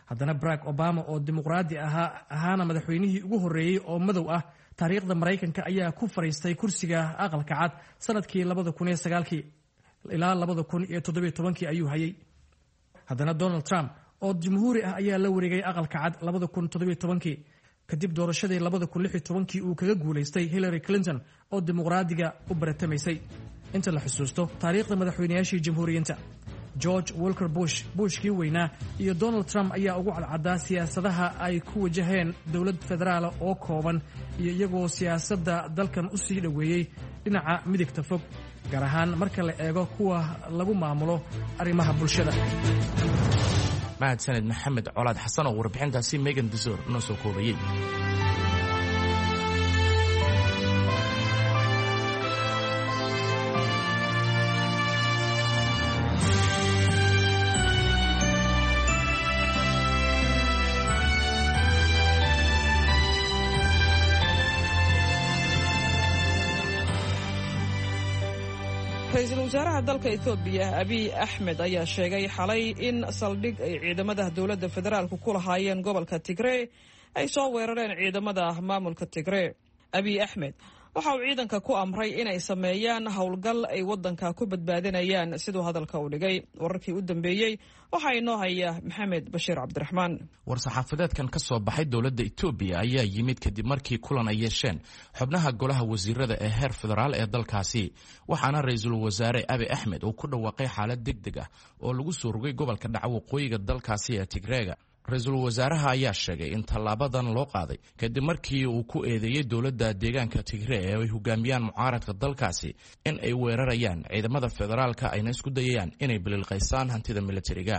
Haddana Barack Obama oo dimuqraadi ahaa, ahaana madaxweynihii ugu horreeyey oo madow ah taariikhda Maraykanka, ayaa ku fadhiistay kursiga Aqalka Cad sanadkii 2009-kii ilaa 2017-kii ayuu hayay. Haddana Donald Trump oo jamhuuri ah ayaa la wareegay Aqalka Cad 2017-kii, kadib doorashadii 2016-kii uu kaga guulaystay Hillary Clinton oo dimuqraadiga u baratamaysay. Inta la xusuusto taariikhda madaxweynayaashii jamhuuriyiinta, George Walker Bush, Bushkii weynaa, iyo Donald Trump ayaa ugu cadcaddaa siyaasadaha ay ku wajaheen dowlad federaala oo kooban iyo iyagoo siyaasadda dalkan u sii dhoweeyey dhinaca midigta fog, gaar ahaan marka la eego kuwa lagu maamulo arrimaha bulshada. Mahadsaned Maxamed Colaad Xasan oo warbixintaasi Megan Desor noo soo koobayey. Ra-iisul wasaaraha dalka Etoobiya Abiy Axmed ayaa sheegay xalay in saldhig ay ciidamada dowladda federaalku ku lahaayeen gobolka Tigree ay soo weerareen ciidamada maamulka Tigree. Abiy Axmed waxa uu ciidanka ku amray inay sameeyaan howlgal ay waddanka ku badbaadinayaan, siduu hadalka u dhigay. Wararkii u dambeeyey waxaa inoo haya Maxamed Bashiir Cabdiraxmaan. War-saxaafadeedkan ka soo baxay dowladda Etoobiya ayaa yimid kadib markii kulan ay yeesheen xubnaha golaha wasiirada ee heer federaal ee dalkaasi, waxaana ra-iisul wasaare Abi Axmed uu ku dhawaaqay xaalad deg deg ah oo lagu soo rogay gobolka dhaca waqooyiga dalkaasi ee Tigreega. Ra-iisul wasaaraha ayaa sheegay in tallaabadan loo qaaday kadib markii uu ku eedeeyey dowladda deegaanka Tigree ee ay hogaamiyaan mucaaradka dalkaasi in ay weerarayaan ciidamada federaalka, ayna isku dayayaan inay bililqaysaan hantida militariga.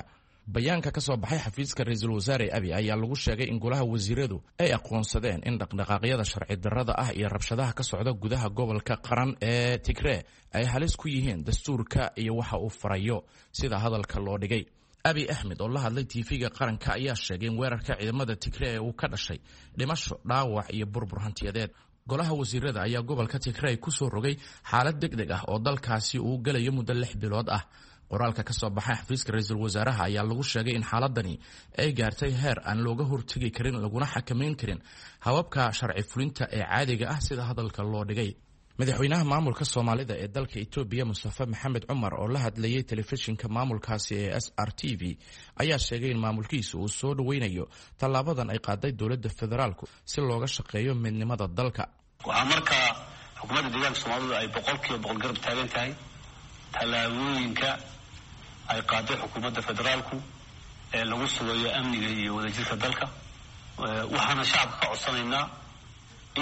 Bayaanka ka soo baxay xafiiska ra-iisul wasaare Abi ayaa lagu sheegay in golaha wasiiradu ay aqoonsadeen in dhaqdhaqaaqyada sharci darrada ah iyo rabshadaha ka socda gudaha gobolka qaran ee Tigree ay halis ku yihiin dastuurka iyo waxa uu farayo, sida hadalka loo dhigay. Abi Axmed oo la hadlay tv-ga qaranka ayaa sheegay in weerarka ciidamada Tigree uu ka dhashay dhimasho, dhaawac iyo burbur hantiyadeed. Golaha wasiirada ayaa gobolka Tigrey ku soo rogay xaalad deg deg ah oo dalkaasi uu gelayo muddo 6 bilood ah. Qoraalka ka soo baxay xafiiska ra-iisul wasaaraha ayaa lagu sheegay in xaaladani ay gaartay heer aan looga hortegi karin laguna xakamayn karin hababka sharci fulinta ee caadiga ah, sida hadalka loo dhigay. Madaxweynaha maamulka Soomaalida ee dalka Etoobiya Mustafe Maxamed Cumar oo la hadlayay telefishinka maamulkaasi ee SRTV ayaa sheegay in maamulkiisu uu soo dhoweynayo tallaabadan ay qaaday dowladda federaalku si looga shaqeeyo midnimada dalka. Waxaa markaa xukuumadda deegaanka Soomaalidu ay 100% garab taagan tahay tallaabooyinka ay qaaday xukuumadda federaalku ee lagu sugayo amniga iyo wadajirka dalka. Waxaana shacabka ka codsanaynaa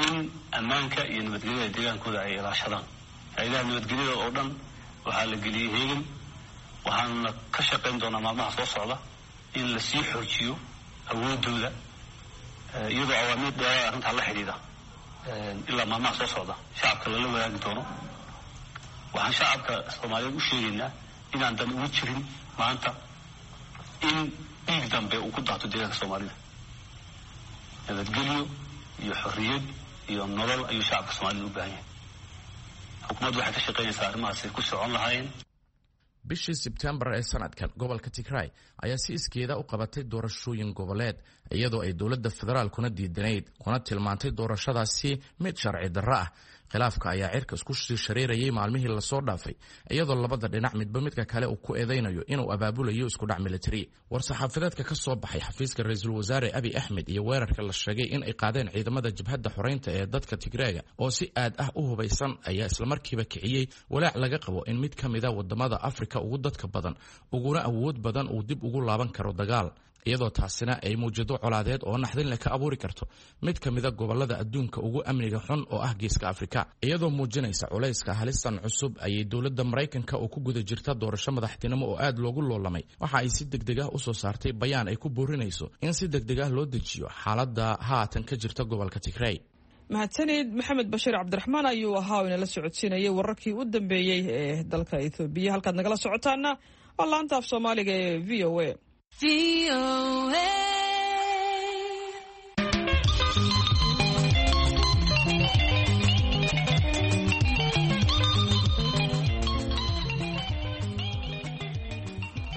in ammaanka iyo nabadgelyada deegaankooda ay ilaashadaan. Hay-adaha nabadgelyada oo dhan waxaa la geliyey heegan, waxaana ka shaqayn doonaa maalmaha soo socda in lasii xoojiyo awoodooda, iyadoo awaamiir dheeraada arrintaa la xidhiidha ilaa maalmaha soo socda shacabka lala wadaagi doono. Waxaan shacabka Soomaaliyeed u sheegaynaa inaan dan ugu jirin maanta in dhiig dambe uu ku daato deegaanka Soomaalida. Nabadgelyo iyo xorriyad iyo nolol ayuu shacabka Soomaalida u baahan yahay. Xukuumaddu waxay ka shaqaynaysaa arrimahaasi ku socon lahaayeen. Bishii Sebtembar ee sanadkan gobolka Tigray ayaa si iskeeda u qabatay doorashooyin goboleed, iyadoo ay dowladda federaalkuna diidanayd kuna tilmaantay doorashadaasi mid sharci darro ah. Khilaafka ayaa cirka isku sii shareerayay maalmihii lasoo dhaafay, iyadoo labada dhinac midba midka kale uu ku eedeynayo inuu abaabulayo iskudhac militari. War-saxaafadeedka ka soo baxay xafiiska ra-iisul wasaare Abi Axmed iyo weerarka la sheegay in ay qaadeen ciidamada jabhadda xoreynta ee dadka Tigreega oo si aad ah u hubaysan ayaa islamarkiiba kiciyey walaac laga qabo in mid ka mida wadamada Afrika ugu dadka badan uguna awood badan uu dib ugu laaban karo dagaal, iyadoo taasina ay muwjado colaadeed oo naxdin leh ka abuuri karto mid ka mida gobolada adduunka ugu amniga xun oo ah geeska Afrika. Iyadoo muujinaysa culayska halistan cusub ayay dowladda Maraykanka oo ku guda jirta doorasho madaxtinimo oo aad loogu loolamay waxa ay si degdeg ah usoo saartay bayaan ay ku boorinayso in si degdeg ah loo dejiyo xaaladda haatan ka jirta gobolka Tigrey. Mahadsanid Maxamed Bashiir Cabdiraxmaan ayuu ahaa oo inala socodsiinayay wararkii u dambeeyey ee dalka Etoobiya. Halkaad nagala socotaana waa laanta af Soomaaliga ee VOA.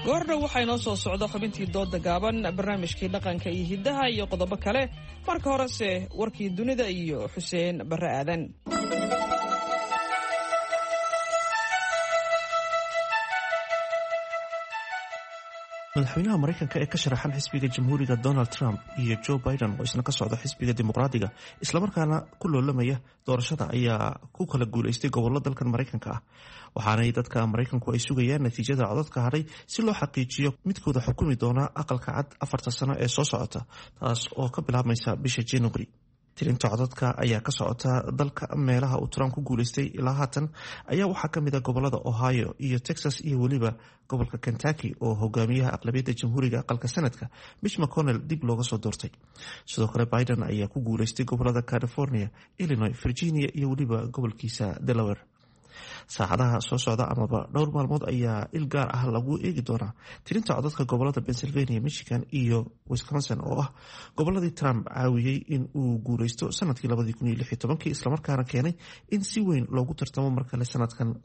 Goordhow waxaa inoo soo socda xubintii dooda gaaban, barnaamijkii dhaqanka iyo hiddaha iyo qodobo kale. Marka horese warkii dunida iyo Xuseen Barre Aadan. Madaxweynaha Maraykanka ee ka sharaxan xisbiga Jamhuuriga Donald Trump iyo Joe Biden oo isna ka socda xisbiga Dimuqraadiga islamarkaana ku loolamaya doorashada ayaa ku kala guuleystay gobollo dalkan Maraykanka ah, waxaanay dadka Maraykanku ay sugayaan natiijada codadka hadhay si loo xaqiijiyo midkooda xukumi doona Aqalka Cad 4ta sano ee soo socota, taas oo ka bilaabmaysa bisha January. Tirinta codadka ayaa ka socota dalka. Meelaha uu Trump ku guuleystay ilaa haatan ayaa waxaa kamid a gobolada Ohio iyo Texas iyo weliba gobolka Kentucky oo hogaamiyaha aqlabiyadda Jamhuuriga aqalka Sanadka Mitch McConnell dib looga soo doortay. Sidoo kale Biden ayaa ku guuleystay gobolada California, Illinois, Virginia iyo weliba gobolkiisa Delaware. Saacadaha soo socda amaba dhowr maalmood ayaa il gaar ah lagu eegi doonaa tirinta codadka gobolada Pennsylvania, Michigan iyo Wisconsin oo ah goboladii Trump caawiyey in uu guuleysto sanadkii islamarkaana keenay in si weyn loogu tartamo markale sanadkan.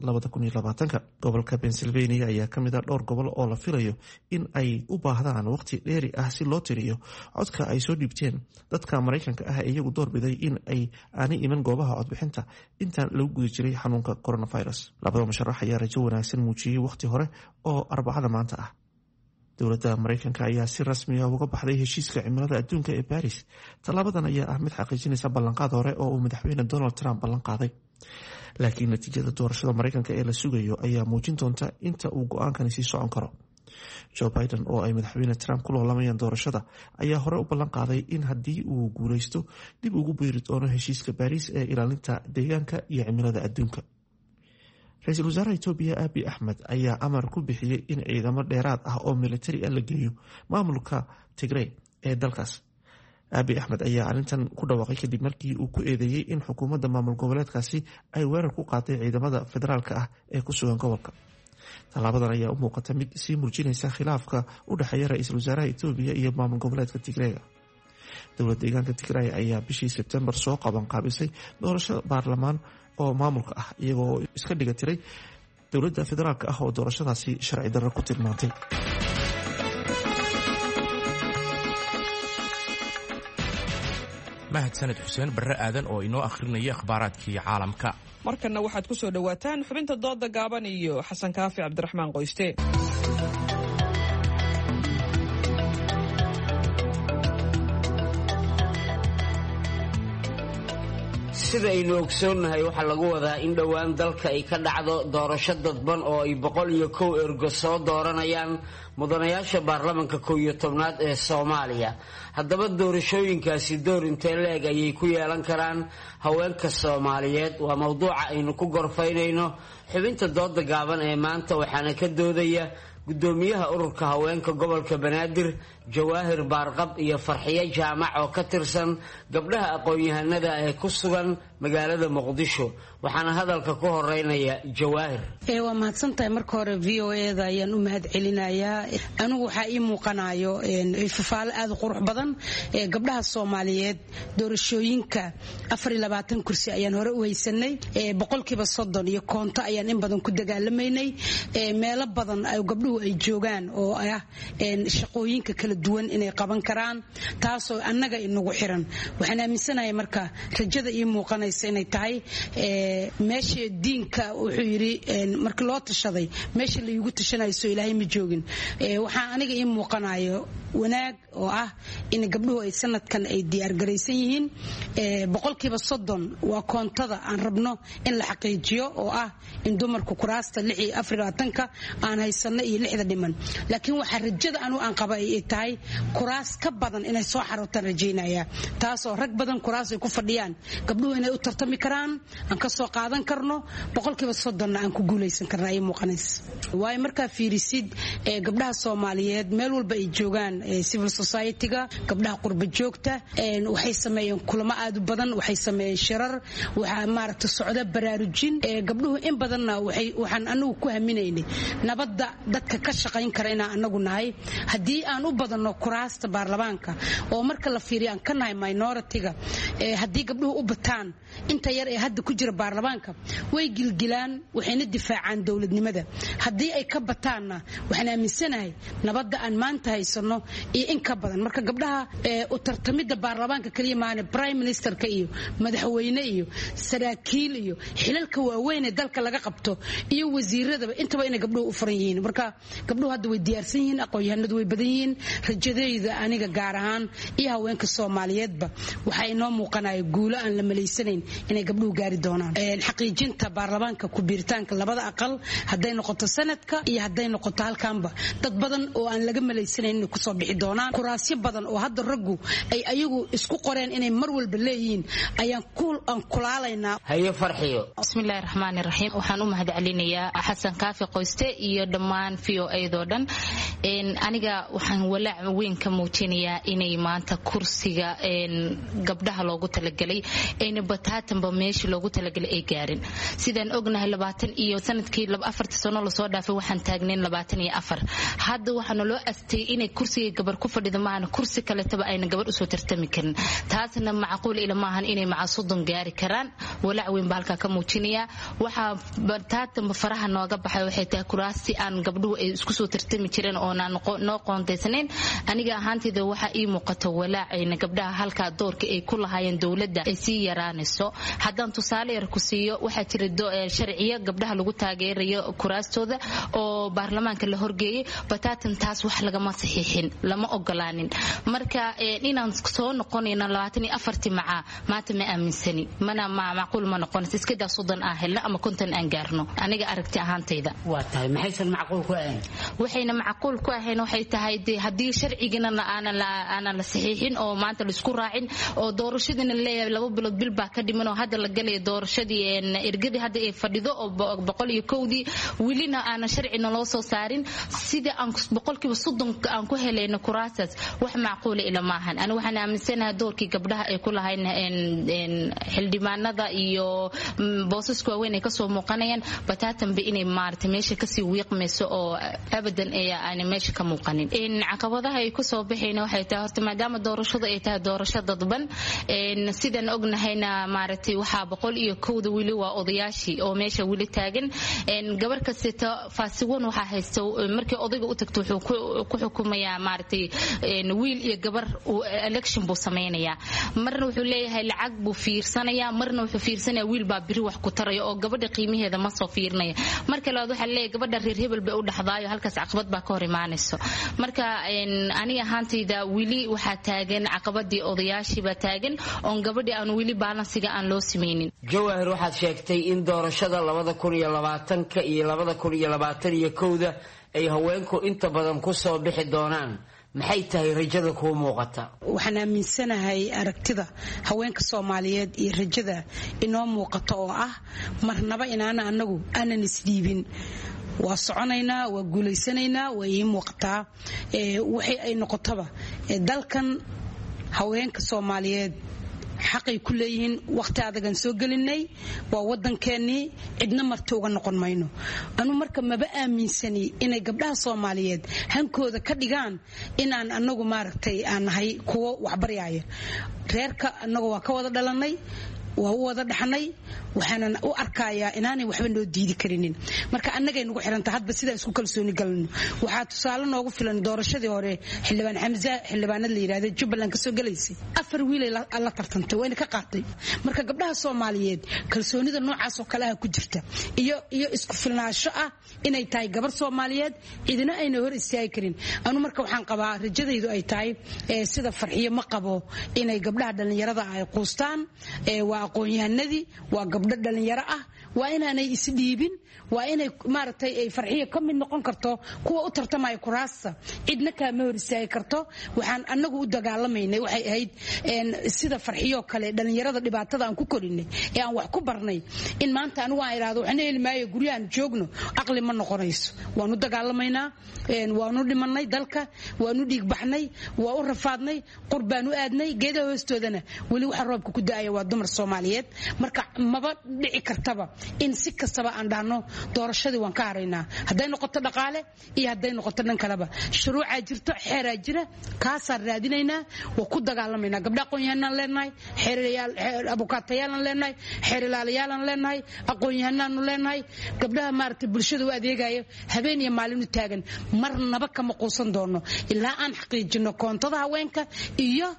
Gobolka Pennsylvania ayaa kamid a dhowr gobol oo la filayo in ay u baahdaan waqti dheeri ah si loo tiriyo codka ay soo dhiibteen dadka Maraykanka ah ee iyagu doorbiday in ay aanay iman goobaha codbixinta intaan lagu guda jiray xanuunka coronavirus. Labada musharax ayaa rajo wanaagsan muujiyey waqti hore oo Arbacada maanta ah. Dowladda Maraykanka ayaa si rasmi ah uga baxday heshiiska cimilada adduunka ee Baris. Tallaabadan ayaa ah mid xaqiijinaysa ballanqaad hore oo uu madaxweyne Donald Trump ballanqaaday, laakiin natiijada doorashada Maraykanka ee la sugayo ayaa muujin doonta inta uu go-aankani sii socon karo. Joe Biden oo ay madaxweyne Trump ku loolamayaan doorashada ayaa hore u ballan qaaday in haddii uu guuleysto dib ugu biiri doono heshiiska Baariis ee ilaalinta deegaanka iyo cimilada adduunka. Ra-iisul wasaaraha Itoobiya Abi Axmed ayaa amar ku bixiyey in ciidamo dheeraad ah oo militari ah la geeyo maamulka Tigrey ee dalkaas. Abi Axmed ayaa arrintan ku dhawaaqay kadib markii uu ku eedeeyey in xukuumadda maamul goboleedkaasi ay weerar ku qaaday ciidamada federaalka ah ee ku sugan gobolka. Tallaabadan ayaa u muuqata mid sii muujinaysa khilaafka u dhexeeya ra-iisul wasaaraha Itoobiya iyo maamul goboleedka Tigreega. Dowlad deegaanka Tigray ayaa bishii Sebtembar soo qabanqaabisay doorasho baarlamaan oo maamulka ah, iyagoo iska dhiga tiray dowladda federaalka ah oo doorashadaasi sharci darro ku tilmaantay. Mahadsaned Xuseen Barre Aadan oo inoo akhrinaya akhbaaraadkii caalamka. Markanna waxaad ku soo dhowaataan xubinta dooda gaaban iyo Xasan Kaafi Cabdiraxmaan Qoyste. Sida aynu ogsoonnahay, waxaa lagu wadaa in dhowaan dalka ay ka dhacdo doorasho dadban oo ay 101 ergo soo dooranayaan mudanayaasha baarlamanka 11aad ee Soomaaliya. Haddaba doorashooyinkaasi door intee leeg ayay ku yeelan karaan haweenka Soomaaliyeed? Waa mowduuca aynu ku gorfaynayno xubinta dooda gaaban ee maanta, waxaana ka doodaya gudoomiyaha ururka haweenka gobolka Banaadir Jawaahir Baarqab iyo Farxiyo Jaamac oo ka tirsan gabdhaha aqoon-yahanada ee ku sugan magaalada Muqdisho. Waxaana hadalka ku horeynaya Jawaahir. Waa mahadsantahay. Marka hore VOA da ayaan u mahad celinayaa. Anigu waxaa ii muuqanayo fafaalo aad u qurux badan. Gabdhaha Soomaaliyeed doorashooyinka 24 kursi ayaan hore u haysanay, 30% iyo koonto ayaan in badan ku dagaalamaynay. Meelo badan gabdhuhu ay joogaan oo ah shaqooyinka kala duwan inay qaban karaan, taasoo annaga inagu xiran. Waxaan aaminsanahay marka rajada ii muuqanaysa inay tahay meesha diinka wuxuu yidhi markii loo tashaday meesha la iigu tashanayso Ilaahay ma joogin. Waxaa aniga ii muuqanayo wanaag oo ah in gabdhuhu ay sanadkan ay diyaargaraysan yihiin. 30% waa koontada aan rabno in la xaqiijiyo, oo ah in dumarku kuraasta 24-ka aan haysano iyo lixda dhiman, laakiin waxaa rajada anu aan qaba ay tahay kuraas ka badan inay soo xarootaan rajaynaya, taasoo rag badan kuraas ay ku fadhiyaan gabdhuhu inay u tartami karaan, aan ka soo qaadan karno 30%-na aan ku guulaysan karna ay muuqanaysa. Waayo, markaa fiirisid gabdhaha Soomaaliyeed meel walba ay joogaan, civil society-ga, gabdhaha qurba joogta, waxay sameeyeen kulamo aad u badan, waxay sameeyeen shirar, waxaa maaragta socda baraarujin gabdhuhu in badanna. Waxaan anagu ku haminaynay nabadda dadka ka shaqayn kara inaan anagu nahay haddii aan u badanno. haysano kuraasta baarlamaanka oo marka la fiiriyo aan ka nahay minority-ga, haddii gabdhuhu u bataan inta yar ee hadda ku jira baarlamaanka way gilgilaan, waxayna difaacaan dowladnimada. Haddii ay ka bataanna waxaan aaminsanahay nabadda aan maanta haysano iyo in ka badan. Marka gabdhaha u tartamidda baarlamaanka kaliya maahane, prime ministerka iyo madaxweyne iyo saraakiil iyo xilalka waaweyn ee dalka laga qabto iyo wasiiradaba intaba inay gabdhuhu u furan yihiin. Marka gabdhuhu hadda way diyaarsan yihiin, aqoon-yahanadu way badan yihiin. Rajadayda aniga gaar ahaan iyo haweenka Soomaaliyeedba waxaa inoo muuqanaya guulo aan la malaysanayn inay gabdhuhu gaari doonaan. Xaqiijinta baarlamaanka ku biiritaanka labada aqal, hadday noqoto sanadka iyo hadday noqoto halkaanba, dad badan oo aan laga malaysanayn inay kusoo bixi doonaan. Kuraasyo badan oo hadda raggu ay ayagu isku qoreen inay mar walba leeyihiin ayaan aan kulaalaynaa. Haye Farxiyo. Bismillahi raxmaani raxiim. Waxaan u mahadcelinayaa Xasan Kaafi Qoyste iyo dhammaan v o a-doo dhan. Aniga waxaan walaac weyn ka muujinayaa inay maanta kursiga gabdhaha loogu talagelay ayna bataatanba meeshii loogu talagelay ay gaarin. Sidaan ognahay, 20 iyo sanadkii 4-ta sano lasoo dhaafay waxaan taagnayn 24. Hadda waxaana loo astay inay kursiga gabar ku fadhido maahan, kursi kaletaba ayna gabar usoo tartami karin. Taasna macquul ila maahan inay maca 30 gaari karaan. Walaac weyn baa halkaa ka muujinayaa. Waxaa bataatanba faraha nooga baxay waxay tahay kuraasti aan gabdhuhu ay isku soo tartami jireen oonaan noo qoondaysnayn. Aniga ahaanteyda waxaa ii muuqato walaacayna gabdhaha halkaa doorka ay ku lahaayeen dowladda ay sii yaraanayso. Haddaan tusaale yar ku siiyo, waxaa jira sharciyo gabdhaha lagu taageerayo kuraastooda oo baarlamaanka la horgeeyay. Bataatan taas wax lagama saxiixin, lama ogolaanin. Marka inaan soo noqonayno 24-tii macaa maanta ma aaminsani, mana macquul ma noqonayso. Iskadaa 30 aan helno ama 50 aan gaarno, aniga aragti ahaantayda. Waa tahay, maxaysan macquul ku ahayn? Waxayna macquul ku ahayn waxay tahay dee haddii sharcigana aanan la saxiixin oo maanta laisku raacin oo doorashadiina leeyahay 2 bilood bil baa ka dhiman oo hadda la galaya doorashadii, ergadii hadda ay fadhido oo 101-dii welina aanan sharcina loo soo saarin, sida aan 30% aan ku helayno kuraasaas wax macquula ila maahan. Ani waxaan aaminsanahay doorkii gabdhaha ay ku lahayn xildhibaanada iyo boosaska waaweyn ay kasoo muuqanayaan bataatanba inay maaragtay meesha kasii wiiqmayso oo abadan aanay meesha ka muuqanin. Caqabadaha ay kusoo baxayna waxay tahay horta maadaama doorashadu ay tahay doorasho dadban, sidaan ognahayna maaragtay waxaa 101-da weli waa odayaashii oo meesha weli taagan. Gabar kasteta faasiwan waxaa haysta markii odayga u tagto wuxuu ku xukumayaa maaragtay wiil iyo gabar election buu samaynayaa. Marna wuxuu leeyahay lacag buu fiirsanayaa, marna wuxuu fiirsanayaa wiil baa biri wax ku taraya oo gabadha qiimaheeda ma soo fiirinaya. Marka labaad waxaa leeyahay gabadha reer hebel bay u dhaxdaayo, halkaas caqabad baa ka hor imaanayso. Marka aniga ahaantayda weli waxaa taagan caqabadii odayaashii baa taagan oon gabadhii aan weli baalansiga aan loo samaynin. Jawaahir, waxaad sheegtay in doorashada 2020-ka iyo 2021-da ay haweenku inta badan ku soo bixi doonaan. Maxay tahay rajada kuu muuqata? Waxaan aaminsanahay aragtida haweenka Soomaaliyeed iyo rajada inoo muuqata oo ah marnaba inaana anagu aanan isdhiibin. Waa soconaynaa, waa guulaysanaynaa, waa ii muuqataa. Waxay ay noqotaba dalkan haweenka Soomaaliyeed xaqay ku leeyihiin. Wakhti adagaan soo gelinay, waa waddankeennii, cidna marti uga noqon mayno. Anu marka maba aaminsani inay gabdhaha Soomaaliyeed hankooda ka dhigaan inaan anagu maaragtay aan nahay kuwo waxbaryaaya. Reerka annagu waa ka wada dhalannay, waa u wada dhaxnay, waxaanan u arkayaa inaanay waxba noo diidi karinin. Marka annagay nagu xiranta hadba sidaan isku kalsooni galno. Waxaa tusaale noogu filan doorashadii hore xildhibaan Xamza, xildhibaanad la yidhahda Jubbaland kasoo galaysay, 4 wiilay la tartantay wayna ka qaatay. Marka gabdhaha Soomaaliyeed kalsoonida noocaas oo kale ah ku jirta iyo isku filnaansho ah inay tahay gabar Soomaaliyeed cidina ayna hor istaagi karin. Anu marka waxaan qabaa rajadaydu ay tahay sida Farxiyo ma qabo inay gabdhaha dhallinyarada ay quustaan. Waa aqoon-yahanadii, waa gabdho dhalinyaro ah, waa inaanay isdhiibin, waa inay maaragtay ay Farxiyo ka mid noqon karto kuwa u tartamaya kuraasta, cidna kaama hor istaagi karto. Waxaan annagu u dagaalamaynay waxay ahayd sida Farxiyoo kale dhalinyarada dhibaatada aan ku korinay ee aan wax ku barnay in maanta anigu aan idhaahdo waxna heli maayo guryahan joogno, aqli ma noqonayso. Waanu dagaalamaynaa, waanu dhimanay dalka, waanu dhiigbaxnay, waa u rafaadnay, qur baan u aadnay, geedaha hoostoodana weli waxa roobka ku da'aya waa dumar Soomaaliyeed. Marka maba dhici kartaba in si kastaba aan dhahno Doorashadii waan ka haraynaa, hadday noqoto dhaqaale iyo hadday noqoto dhan kaleba. Shuruucaa jirto, xeeraa jira, kaasaan raadinaynaa, waa ku dagaalamaynaa. Gabdha aqoon-yahanaan leenahay, abukaatayaalaan leenahay, xeerilaalayaalaan leenahay, aqoon-yahanaanu leenahay, gabdhaha maaragtay bulshada u adeegaya habeen iyo maalin u taagan. Marnaba kama quusan doono ilaa aan xaqiijino koontada haweenka iyo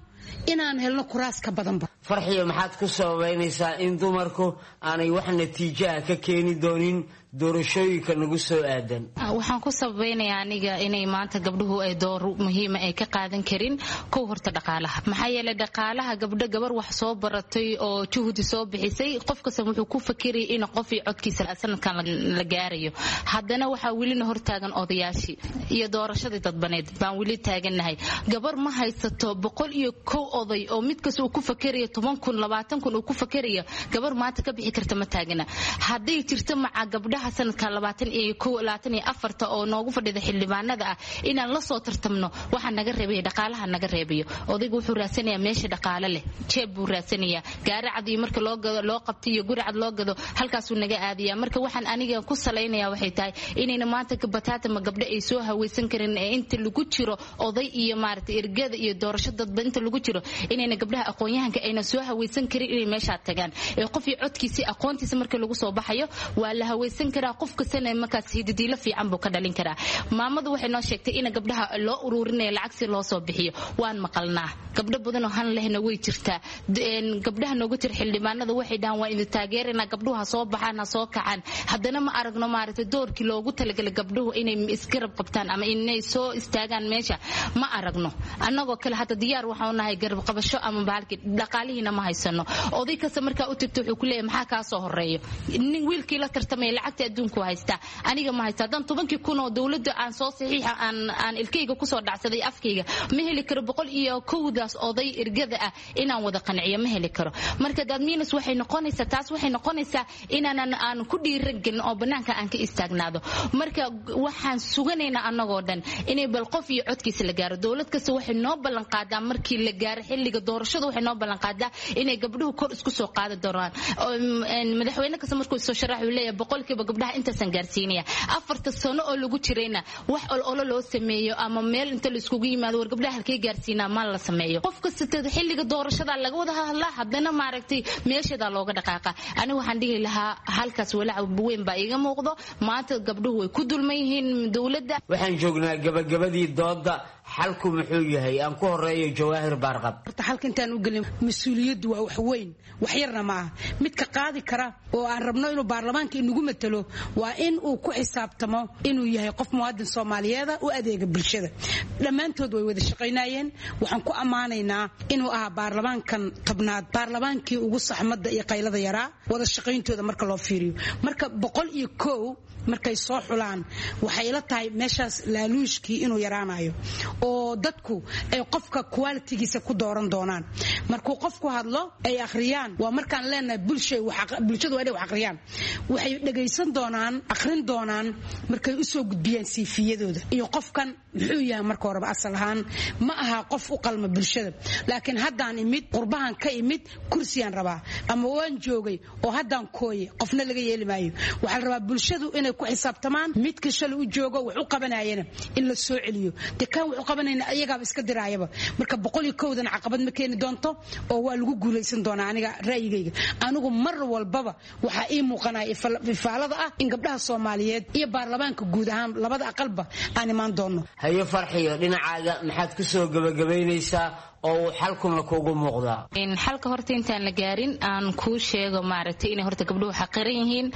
inaan helno kuraas ka badanba. Farxiyo, maxaad ku sababaynaysaa in dumarku aanay wax natiijaha ka keeni doonin doorashooyinka nagu soo aadan? Waxaan ku sababaynayaa aniga inay maanta gabdhuhu ay door muhiima ay ka qaadan karin. Kow, horta dhaqaalaha. Maxaa yeelay dhaqaalaha gabdho, gabar wax soo baratay oo juhdi soo bixisay, qof kasta wuxuu ku fakirayay in qof iyo codkiisa sanadkan la gaarayo. Haddana waxaa welina hortaagan odayaashii iyo doorashadii dadbaneed baan weli taagannahay. Gabar ma haysato 101 oday oo mid kasta uu ku fakerayo 10,000, 20,000 uu ku fakerayo. Gabar maanta ka bixi karta ma taagana. Hadday jirto maca gabdhaha sanadka 21, 24-ta oo noogu fadhida xildhibaanada ah inaan la soo tartamno, waxaa naga reebaya dhaqaalaha naga reebayo. Odaygu wuxuu raadsanayaa meesha dhaqaale leh, jeeb buu raadsanayaa. Gaari cad iyo marka loo gado, loo qabto iyo guri cad loo gado, halkaasuu naga aadaya. Marka waxaan aniga ku salaynaya waxay tahay inayna maanta bataatama gabdho ay soo haweysan karin ee inta lagu jiro oday iyo maaragtay ergada iyo doorasho dadba inta lagu jiro, inayna gabdhaha aqoon-yahanka ayna soo haweysan karin inay meeshaa tagaan. Ee qof iyo codkiisi aqoontiisa marka lagu soo baxayo waa la haweysan karaa, qof kastana markaas hididiilo fiican buu ka dhalin karaa. Maamadu waxay noo sheegtay in gabdhaha loo uruurinayo lacag si loo soo bixiyo. Waan maqalnaa, gabdho badanoo han lehna way jirtaa. Gabdhaha noogu jira xildhibaanada waxay dhahaan waa idin taageeranaa, gabdhuhu ha soo baxaan, ha soo kacaan. Haddana ma aragno maaragtay doorkii loogu talagalay gabdhuhu inay isgarab qabtaan ama inay soo istaagaan meesha ma aragno. Annagoo kale hadda diyaar waxaan nahay garab qabasho ama bahalkii, dhaqaalihiina ma haysano. Oday kasta markaa u tagto wuxuu ku leeyahay maxaa kaa soo horeeyo? Nin wiilkii la tartamaya lacagta adduunku haystaa, aniga ma haysta. Haddaan 10,000 oo dowladda aan soo saxiixa aan ilkayga kusoo dhacsaday afkayga, ma heli karo 101-daas oday ergada ah inaan wada qanciyo, ma heli karo. Marka dadmiinus waxay noqonaysaa, taas waxay noqonaysaa inaanan aan ku dhiiran gelin oo bannaanka aan ka istaagnaado. Marka waxaan suganaynaa annagoo dhan inay bal qof iyo codkiisa la gaaro. Dowlad kasta waxay noo ballan qaadaa markii la gaaro xilliga doorashada, waxay noo ballan qaadaa inay gabdhuhu kor isku soo qaadi doonaan. Madaxweyne kasta markuu soo sharax uu leeyahay boqolkiiba gabdhaha intaasaan gaarsiinaya. 4-ta sano oo lagu jirayna wax ololo loo sameeyo ama meel inta la iskugu yimaado war gabdhaha halkee gaarsiinaa ma la sameeyo. Qof kasta xilliga doorashada laga wada hadlaa, haddana maaragtay meeshadaa looga dhaqaaqa. Anigu waxaan dhihi lahaa halkaas walaac weyn baa iiga muuqdo. Maanta gabdhuhu way ku dulman yihiin dowladda. Waxaan joognaa gabagabadii dooda. Xalku muxuu yahay? Aan ku horeeyo Jawaahir Baarqab. Horta xalka intaan u gelin, mas-uuliyaddu waa wax weyn, wax yarna ma aha. Midka qaadi kara oo aan rabno inuu baarlamaanka inagu matalo waa in uu ku xisaabtamo inuu yahay qof muwaadin soomaaliyeeda u adeega bulshada. Dhammaantood way wada shaqaynayeen. Waxaan ku ammaanaynaa inuu ahaa baarlamaankan 10aad baarlamaankii ugu saxmadda iyo qaylada yaraa wada shaqayntooda marka loo fiiriyo. Marka 101 markay soo xulaan, waxay ila tahay meeshaas laaluushkii inuu yaraanayo oo dadku ay qofka qualitigiisa ku dooran doonaan. Markuu qofku hadlo ay akhriyaan, waa markaan leenahay bulshadu waa inay wax akhriyaan, waxay dhagaysan doonaan, akhrin doonaan markay u soo gudbiyaan siifiyadooda iyo qofkan muxuu yahay. Marka horeba asal ahaan ma aha qof u qalma bulshada, laakiin haddaan imid qurbahan ka imid, kursiyaan rabaa ama waan joogay oo haddaan kooye, qofna laga yeeli maayo. Waxaa la rabaa bulshadu inay ku xisaabtamaan midka shalay u joogo wax u qabanayana in la soo celiyo. Dee kan wax u qabanayna ayagaaba iska diraayaba. Marka 101-dan caqabad ma keeni doonto oo waa lagu guulaysan doonaa. Aniga ra'yigayga, anigu mar walbaba waxaa ii muuqanaya ifaalada ah in gabdhaha soomaaliyeed iyo baarlamaanka guud ahaan labada aqalba aan imaan doono. Haye Farxiyo, dhinacaaga maxaad ku soo gabagabaynaysaa oo uu xalkuna kuugu muuqdaa? Xalka horta intaan la gaarin aan kuu sheego maaragtay inay horta gabdhuhu xaqiran yihiin.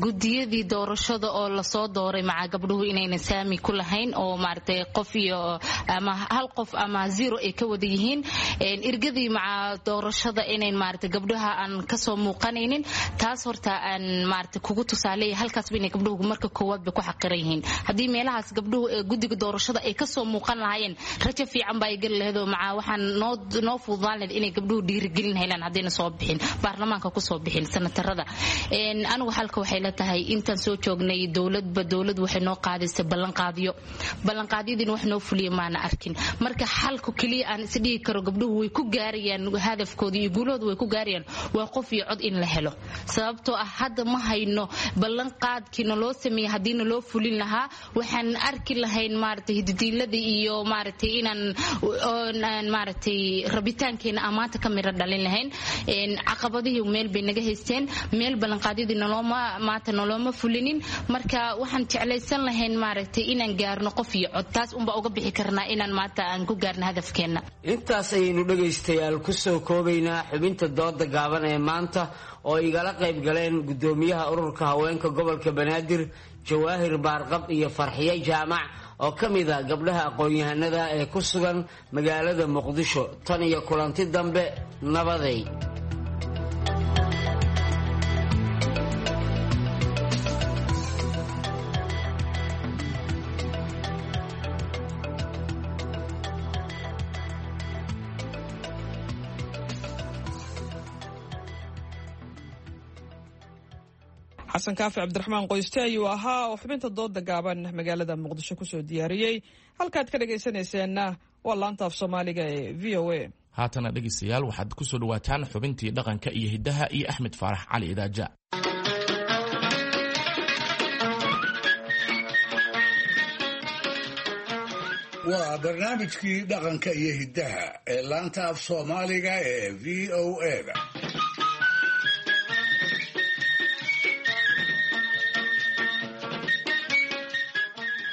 Gudiyadii doorashada oo lasoo dooray maca gabdhuhu inaynan saami ku lahayn oo maaragtay qof iyo ama hal qof ama zero ay ka wada yihiin. Ergadii maca doorashada inayn maaragtay gabdhaha aan kasoo muuqanaynin. Taas horta aan maaragtay kugu tusaaleeya halkaasba inay gabdhuhu marka koowaad bay ku xaqiran yihiin. Haddii meelahaas gabdhuhu ee guddiga doorashada ay kasoo muuqan lahaayeen, rajo fiican baa ay geli lahayd oo macaa waxaan noo fududaan lahayd inay gabdhuhu dhiirigelin helaan haddayna soo bixin baarlamaanka kusoo bixin sanatarada. Anigu xalka waxay la tahay intaan soo joognay dowladba dowlad waxay noo qaadaysa ballanqaadyo, ballanqaadyadiina wax noo fuliya maana arkin. Marka xalku keliya aan is dhihi karo gabdhuhu way ku gaarayaan hadafkooda iyo guulahooda way ku gaarayaan waa qof iyo cod in la helo, sababtoo ah hadda ma hayno ballanqaadkii naloo sameeyey. Haddii naloo fulin lahaa waxaan arki lahayn maaragtay hididiilada iyo maaragtay inaan maaragtay rabitaankeena aan maanta ka miro dhalin lahayn. Caqabadihii meel bay naga haysteen, meel ballanqaadyadii nalooma maanta nalooma fulinin. Marka waxaan jeclaysan lahayn maaragtay inaan gaarno qof iyo cod, taas unbaa uga bixi karnaa inaan maanta aan ku gaarno hadafkeenna. Intaas ayaynu dhegaystayaal kusoo koobaynaa xubinta dooda gaaban ee maanta oo igala qayb galeen gudoomiyaha ururka haweenka gobolka Banaadir Jawaahir Baarqab iyo Farxiye Jaamac oo ka mid a gabdhaha aqoon-yahanada ee ku sugan magaalada Muqdisho. Tan iyo kulanti dambe, nabaday. Xasan Kaafi Cabdiraxmaan Qoyste ayuu ahaa oo xubinta dooda gaaban magaalada Muqdisho kusoo diyaariyey. Halkaad ka dhagaysanayseena waa laanta af Soomaaliga ee VOA. Haatana dhegaystayaal, waxaad kusoo dhawaataan xubintii dhaqanka iyo hiddaha iyo Axmed Faarax Cali Idaaja. Waa barnaamijkii dhaqanka iyo hiddaha ee laanta af Soomaaliga ee VOA-da.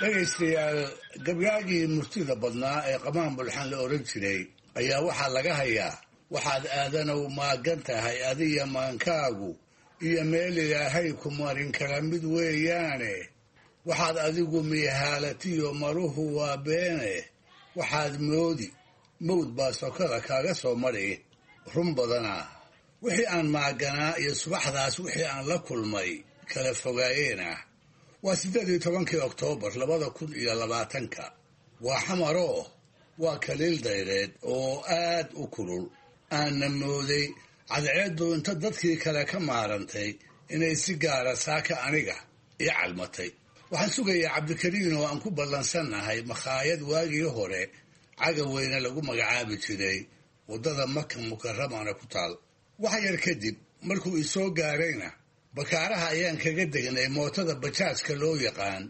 Dhegaystayaal, gabyaagii murtida badnaa ee Qamaan Bulxan la odhan jiray ayaa waxaa laga hayaa: waxaad aadanow maagan tahay adiya maankaagu iyo meel Ilaahay ku marin kala mid weeyaane, waxaad adigu miihaalatiyo maruhu waa beene, waxaad moodi mawd baa sokada kaaga soo mari. Run badanaa wixii aan maaganaa iyo subaxdaas wixii aan la kulmay kala fogaayeenah. Waa 18-kii Oktoobar 2020-ka. Waa Xamaroo, waa kaliil dayreed oo aad u kulul. Aanna mooday cadceeddu inta dadkii kale ka maarantay inay si gaara saaka aniga ii calmatay. Waxaan sugayaa Cabdikariin oo aan ku ballansannahay makhaayad waagii hore Cagaweyne lagu magacaabi jiray, waddada Maka Mukaramana ku taal. Wax yar kadib markuu isoo gaarayna, bakaaraha ayaan kaga degnay mootada bajaajka loo yaqaan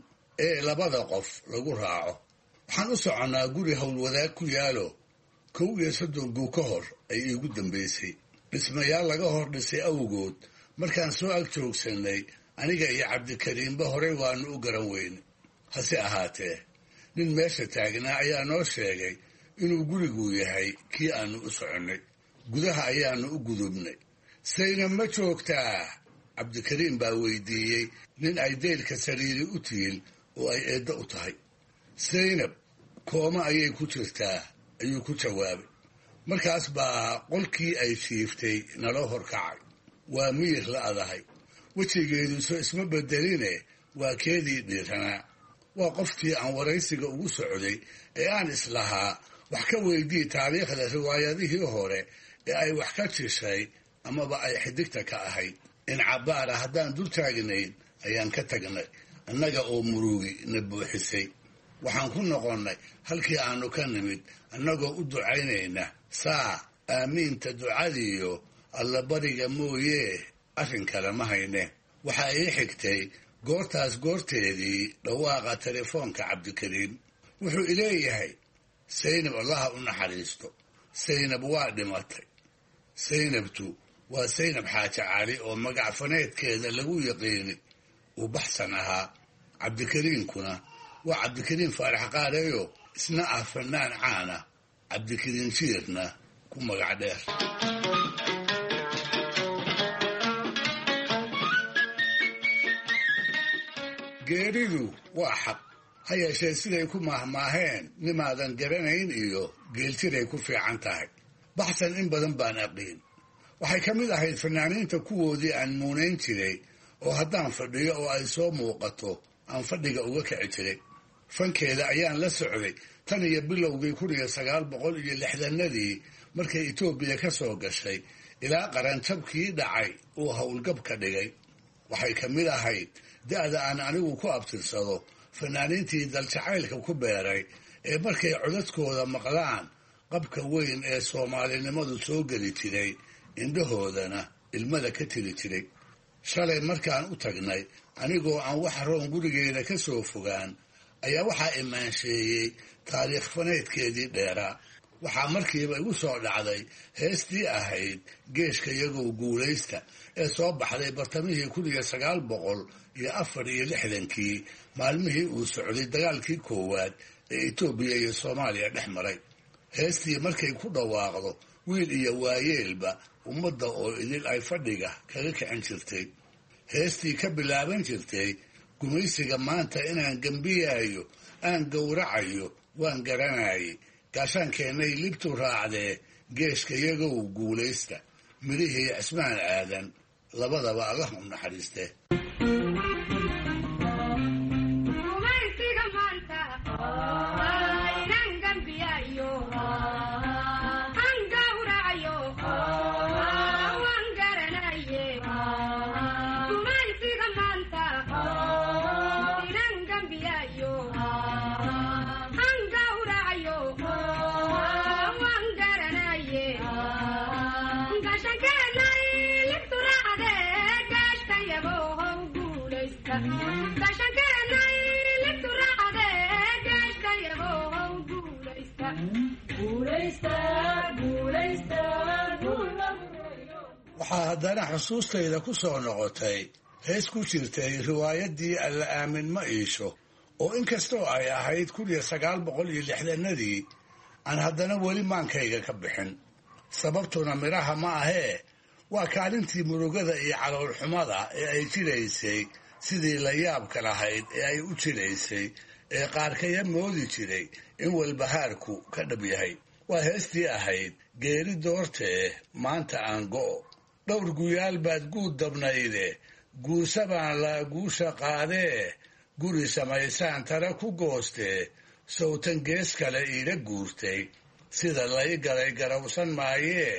ee labada qof lagu raaco. Waxaan u soconnaa guri howlwadaag ku yaalo 31 guu ka hor ay iigu dambaysay, dhismayaal laga hor dhisay awgood. Markaan soo ag joogsannay, aniga iyo Cabdikariimba horey waanu u garan weyne. Hase ahaatee nin meesha taagnaa ayaa noo sheegay inuu gurigu yahay kii aanu u soconnay. Gudaha ayaanu u gudubnay. "Saynab ma joogtaa?" Cabdikariim baa weydiiyey nin ay deylka sariiri u tiil oo ay eeddo u tahay. "Saynab kooma ayay ku jirtaa," ayuu ku jawaabay. Markaas baa qolkii ay jiiftay naloo horkacay. Waa miyir la adahay, wejigeeduso isma bedeline, waa keedii dhiiranaa. Waa qofkii aan waraysiga ugu socday ee aan islahaa wax ka weydii taariikhda riwaayadihii hore ee ay wax ka jishay amaba ay xidigta ka ahayd. In cabbaara haddaan dul taagnayn ayaan ka tagnay, annaga oo murugi na buuxisay. Waxaan ku noqonnay halkii aanu ka nimid, annagoo u ducaynayna. Saa aamiinta ducadiiyo allabariga mooyee arrin kale ma hayne. Waxaa ii xigtay goortaas goorteedii dhawaaqa telefoonka Cabdikariim. Wuxuu ileeyahay: "Saynab Allaha u naxariisto, Saynab waa dhimatay." Saynabtu waa Saynab Xaaji Cali oo magac faneedkeeda lagu yaqiini uu Baxsan ahaa. Cabdikariinkuna waa Cabdikariin Faarax Qaareeyo, isna ah fanaan caana, Cabdikariin Jiirna ku magac dheer. Geeridu waa xaq, ha yeeshee siday ku maahmaaheen nimaadan garanayn iyo geeltiray ku fiican tahay. Baxsan in badan baan aqiin. Waxay ka mid ahayd fanaaniinta kuwoodii aan muunayn jiray oo haddaan fadhiyo oo ay soo muuqato aan fadhiga uga kici jiray. Fankeeda ayaan la socday tan iyo bilowgii 1960-adii markay Itoobiya ka soo gashay ilaa qaranjabkii dhacay uu howlgab ka dhigay. Waxay ka mid ahayd da'da aan anigu ku abtirsado fanaaniintii daljacaylka ku beeray ee markay codadkooda maqlaan qabka weyn ee soomaalinimadu soo geli jiray, indhahoodana ilmada ka tiri jiray. Shalay markaan u tagnay anigoo aan wax roon gurigeeda ka soo fogaan ayaa waxaa imaansheeyey taariikh faneydkeedii dheeraa. Waxaa markiiba igu soo dhacday heestii ahayd Geeshka Yagow Guulaysta ee soo baxday bartamihii 1964-kii, maalmihii uu socday dagaalkii koowaad ee Itoobiya iyo Soomaaliya dhex maray. Heestii markay ku dhawaaqdo wiil iyo waayeelba ummadda oo idil ay fadhiga kaga kicin jirtay. Heestii ka bilaaban jirtay gumaysiga maanta inaan gembiyaayo aan gowracayo waan garanayay, gaashaankeennay libtu raacdee geeshka yagow guulaysta, midhihii Cismaan Aadan labadaba Allah u naxariiste. Waxaa haddana xusuustayda ku soo noqotay hees ku jirtay riwaayaddii Alla Aamin Ma Iisho, oo inkastoo ay ahayd 1960-adii aan haddana weli maankayga ka bixin. Sababtuna midhaha ma ahee, waa kaalintii murugada iyo caloolxumada ee ay jiraysay, sidii la yaabka lahayd ee ay u jiraysay ee qaarkaya moodi jiray in walbahaarku ka dhab yahay. Waa heestii ahayd Geeri Doortee Maanta Aan Go'o, dhowr guyaal baad guud dabnayde, guusa baan laa guusha qaadee, guri samaysaan tara ku goostee, sowtan gees kale iila guurtay, sida lay galay garawsan maayee,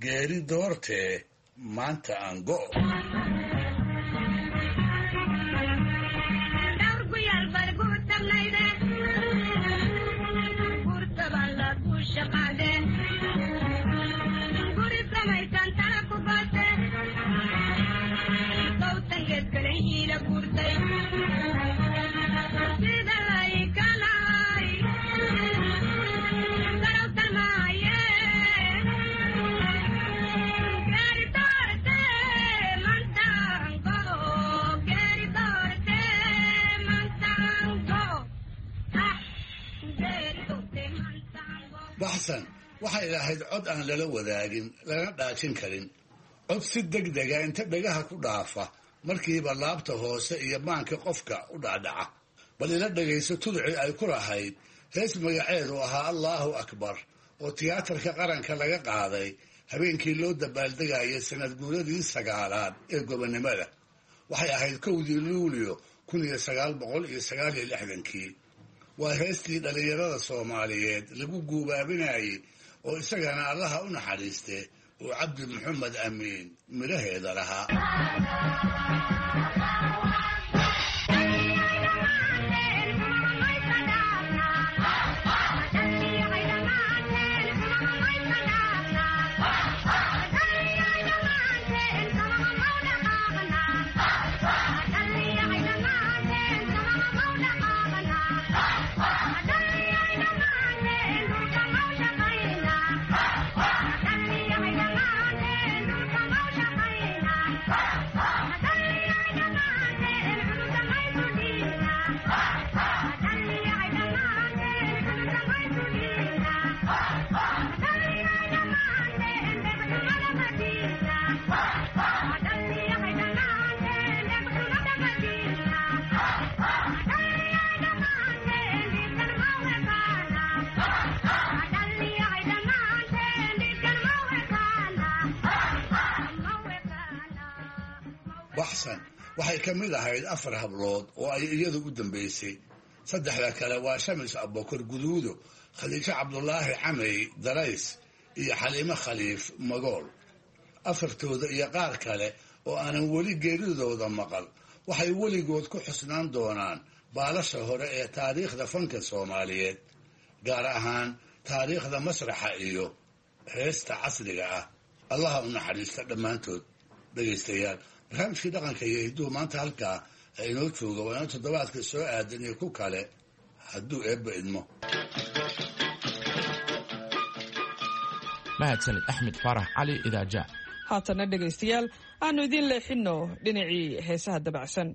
geeri doortee maanta aan go'o. Baxsan waxay lahayd cod aan lala wadaagin, lana dhaajin karin, cod si deg dega inta dhagaha ku dhaafa markiiba laabta hoose iyo maanka qofka u dhacdhaca. Bal ila dhagayso tudcii ay ku lahayd hees magaceedu ahaa Allaahu Akbar oo tiyaatarka qaranka laga qaaday habeenkii loo dabaaldegayay sanad guuradii 9aad ee gobonnimada. Waxay ahayd 1dii Luulyo 1969-kii. Waa heestii dhallinyarada Soomaaliyeed lagu guubaabinayay oo isagana Allaha u naxariiste uu Cabdi Maxamed Amiin midhaheeda lahaa. Baxsan waxay ka mid ahayd 4 hablood oo ay iyadu u dambaysay. Saddexda kale waa Shamis Abokor Guduudo, Khadiijo Cabdulaahi Camey Darays iyo Xaliimo Khaliif Magool. Afartooda iyo qaar kale oo aanan weli geeridooda maqal waxay weligood ku xusnaan doonaan baalasha hore ee taariikhda fanka Soomaaliyeed, gaar ahaan taariikhda masraxa iyo heesta casriga ah. Allaha u naxariista dhammaantood. Dhegaystayaal, barnaamijkii dhaqanka iyo hidduhu maanta halkaa inoo jooga, waa inoo toddobaadka soo aadan iyo ku kale hadduu Eebba idmo. Mahadsanid Axmed Faarax Cali Idaaja. Haatanna dhegaystayaal, aanu idiin leexinno dhinacii heesaha dabacsan.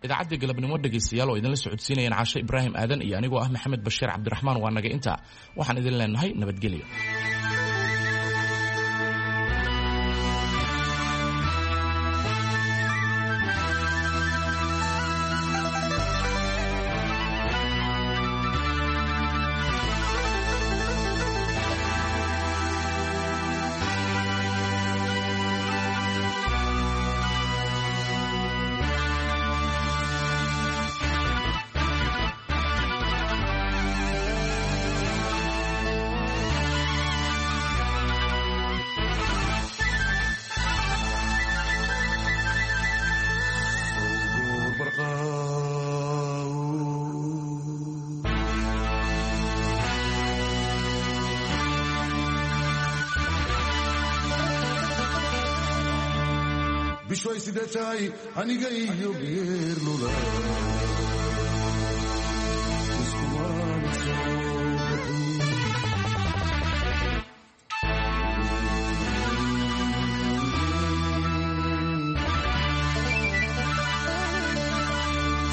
Idaacadda galabnimo dhegaystayaal oo idinla socodsiinayaan Caashe Ibraahim Aadan iyo anigoo ah Maxamed Bashiir Cabdiraxmaan waa naga intaa. Waxaan idin leenahay nabadgelyo. Bishoy sidee tahay aniga iyo geerlula iskumaana soo bixin.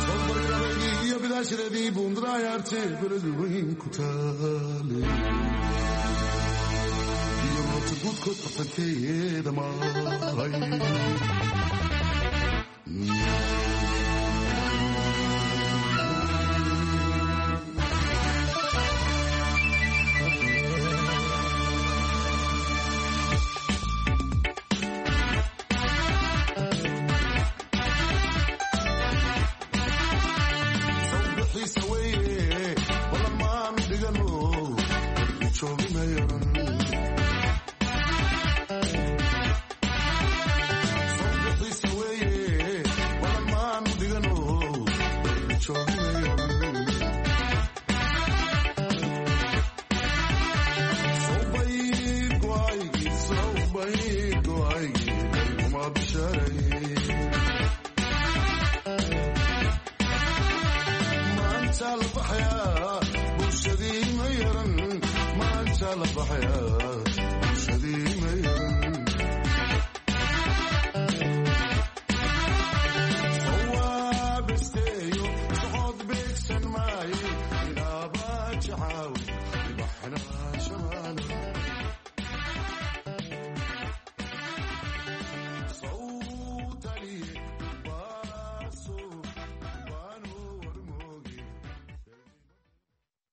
Sobargabaygii iyo bidaashireedii buundarayaarte beledweyn ku taale iyo roobta guudkood bartankeeda maray. Well, la baxaya bulshadii mayaray. Sawaabisteeyo socod beegsan maaye ilaaba jacaaw ibaxna.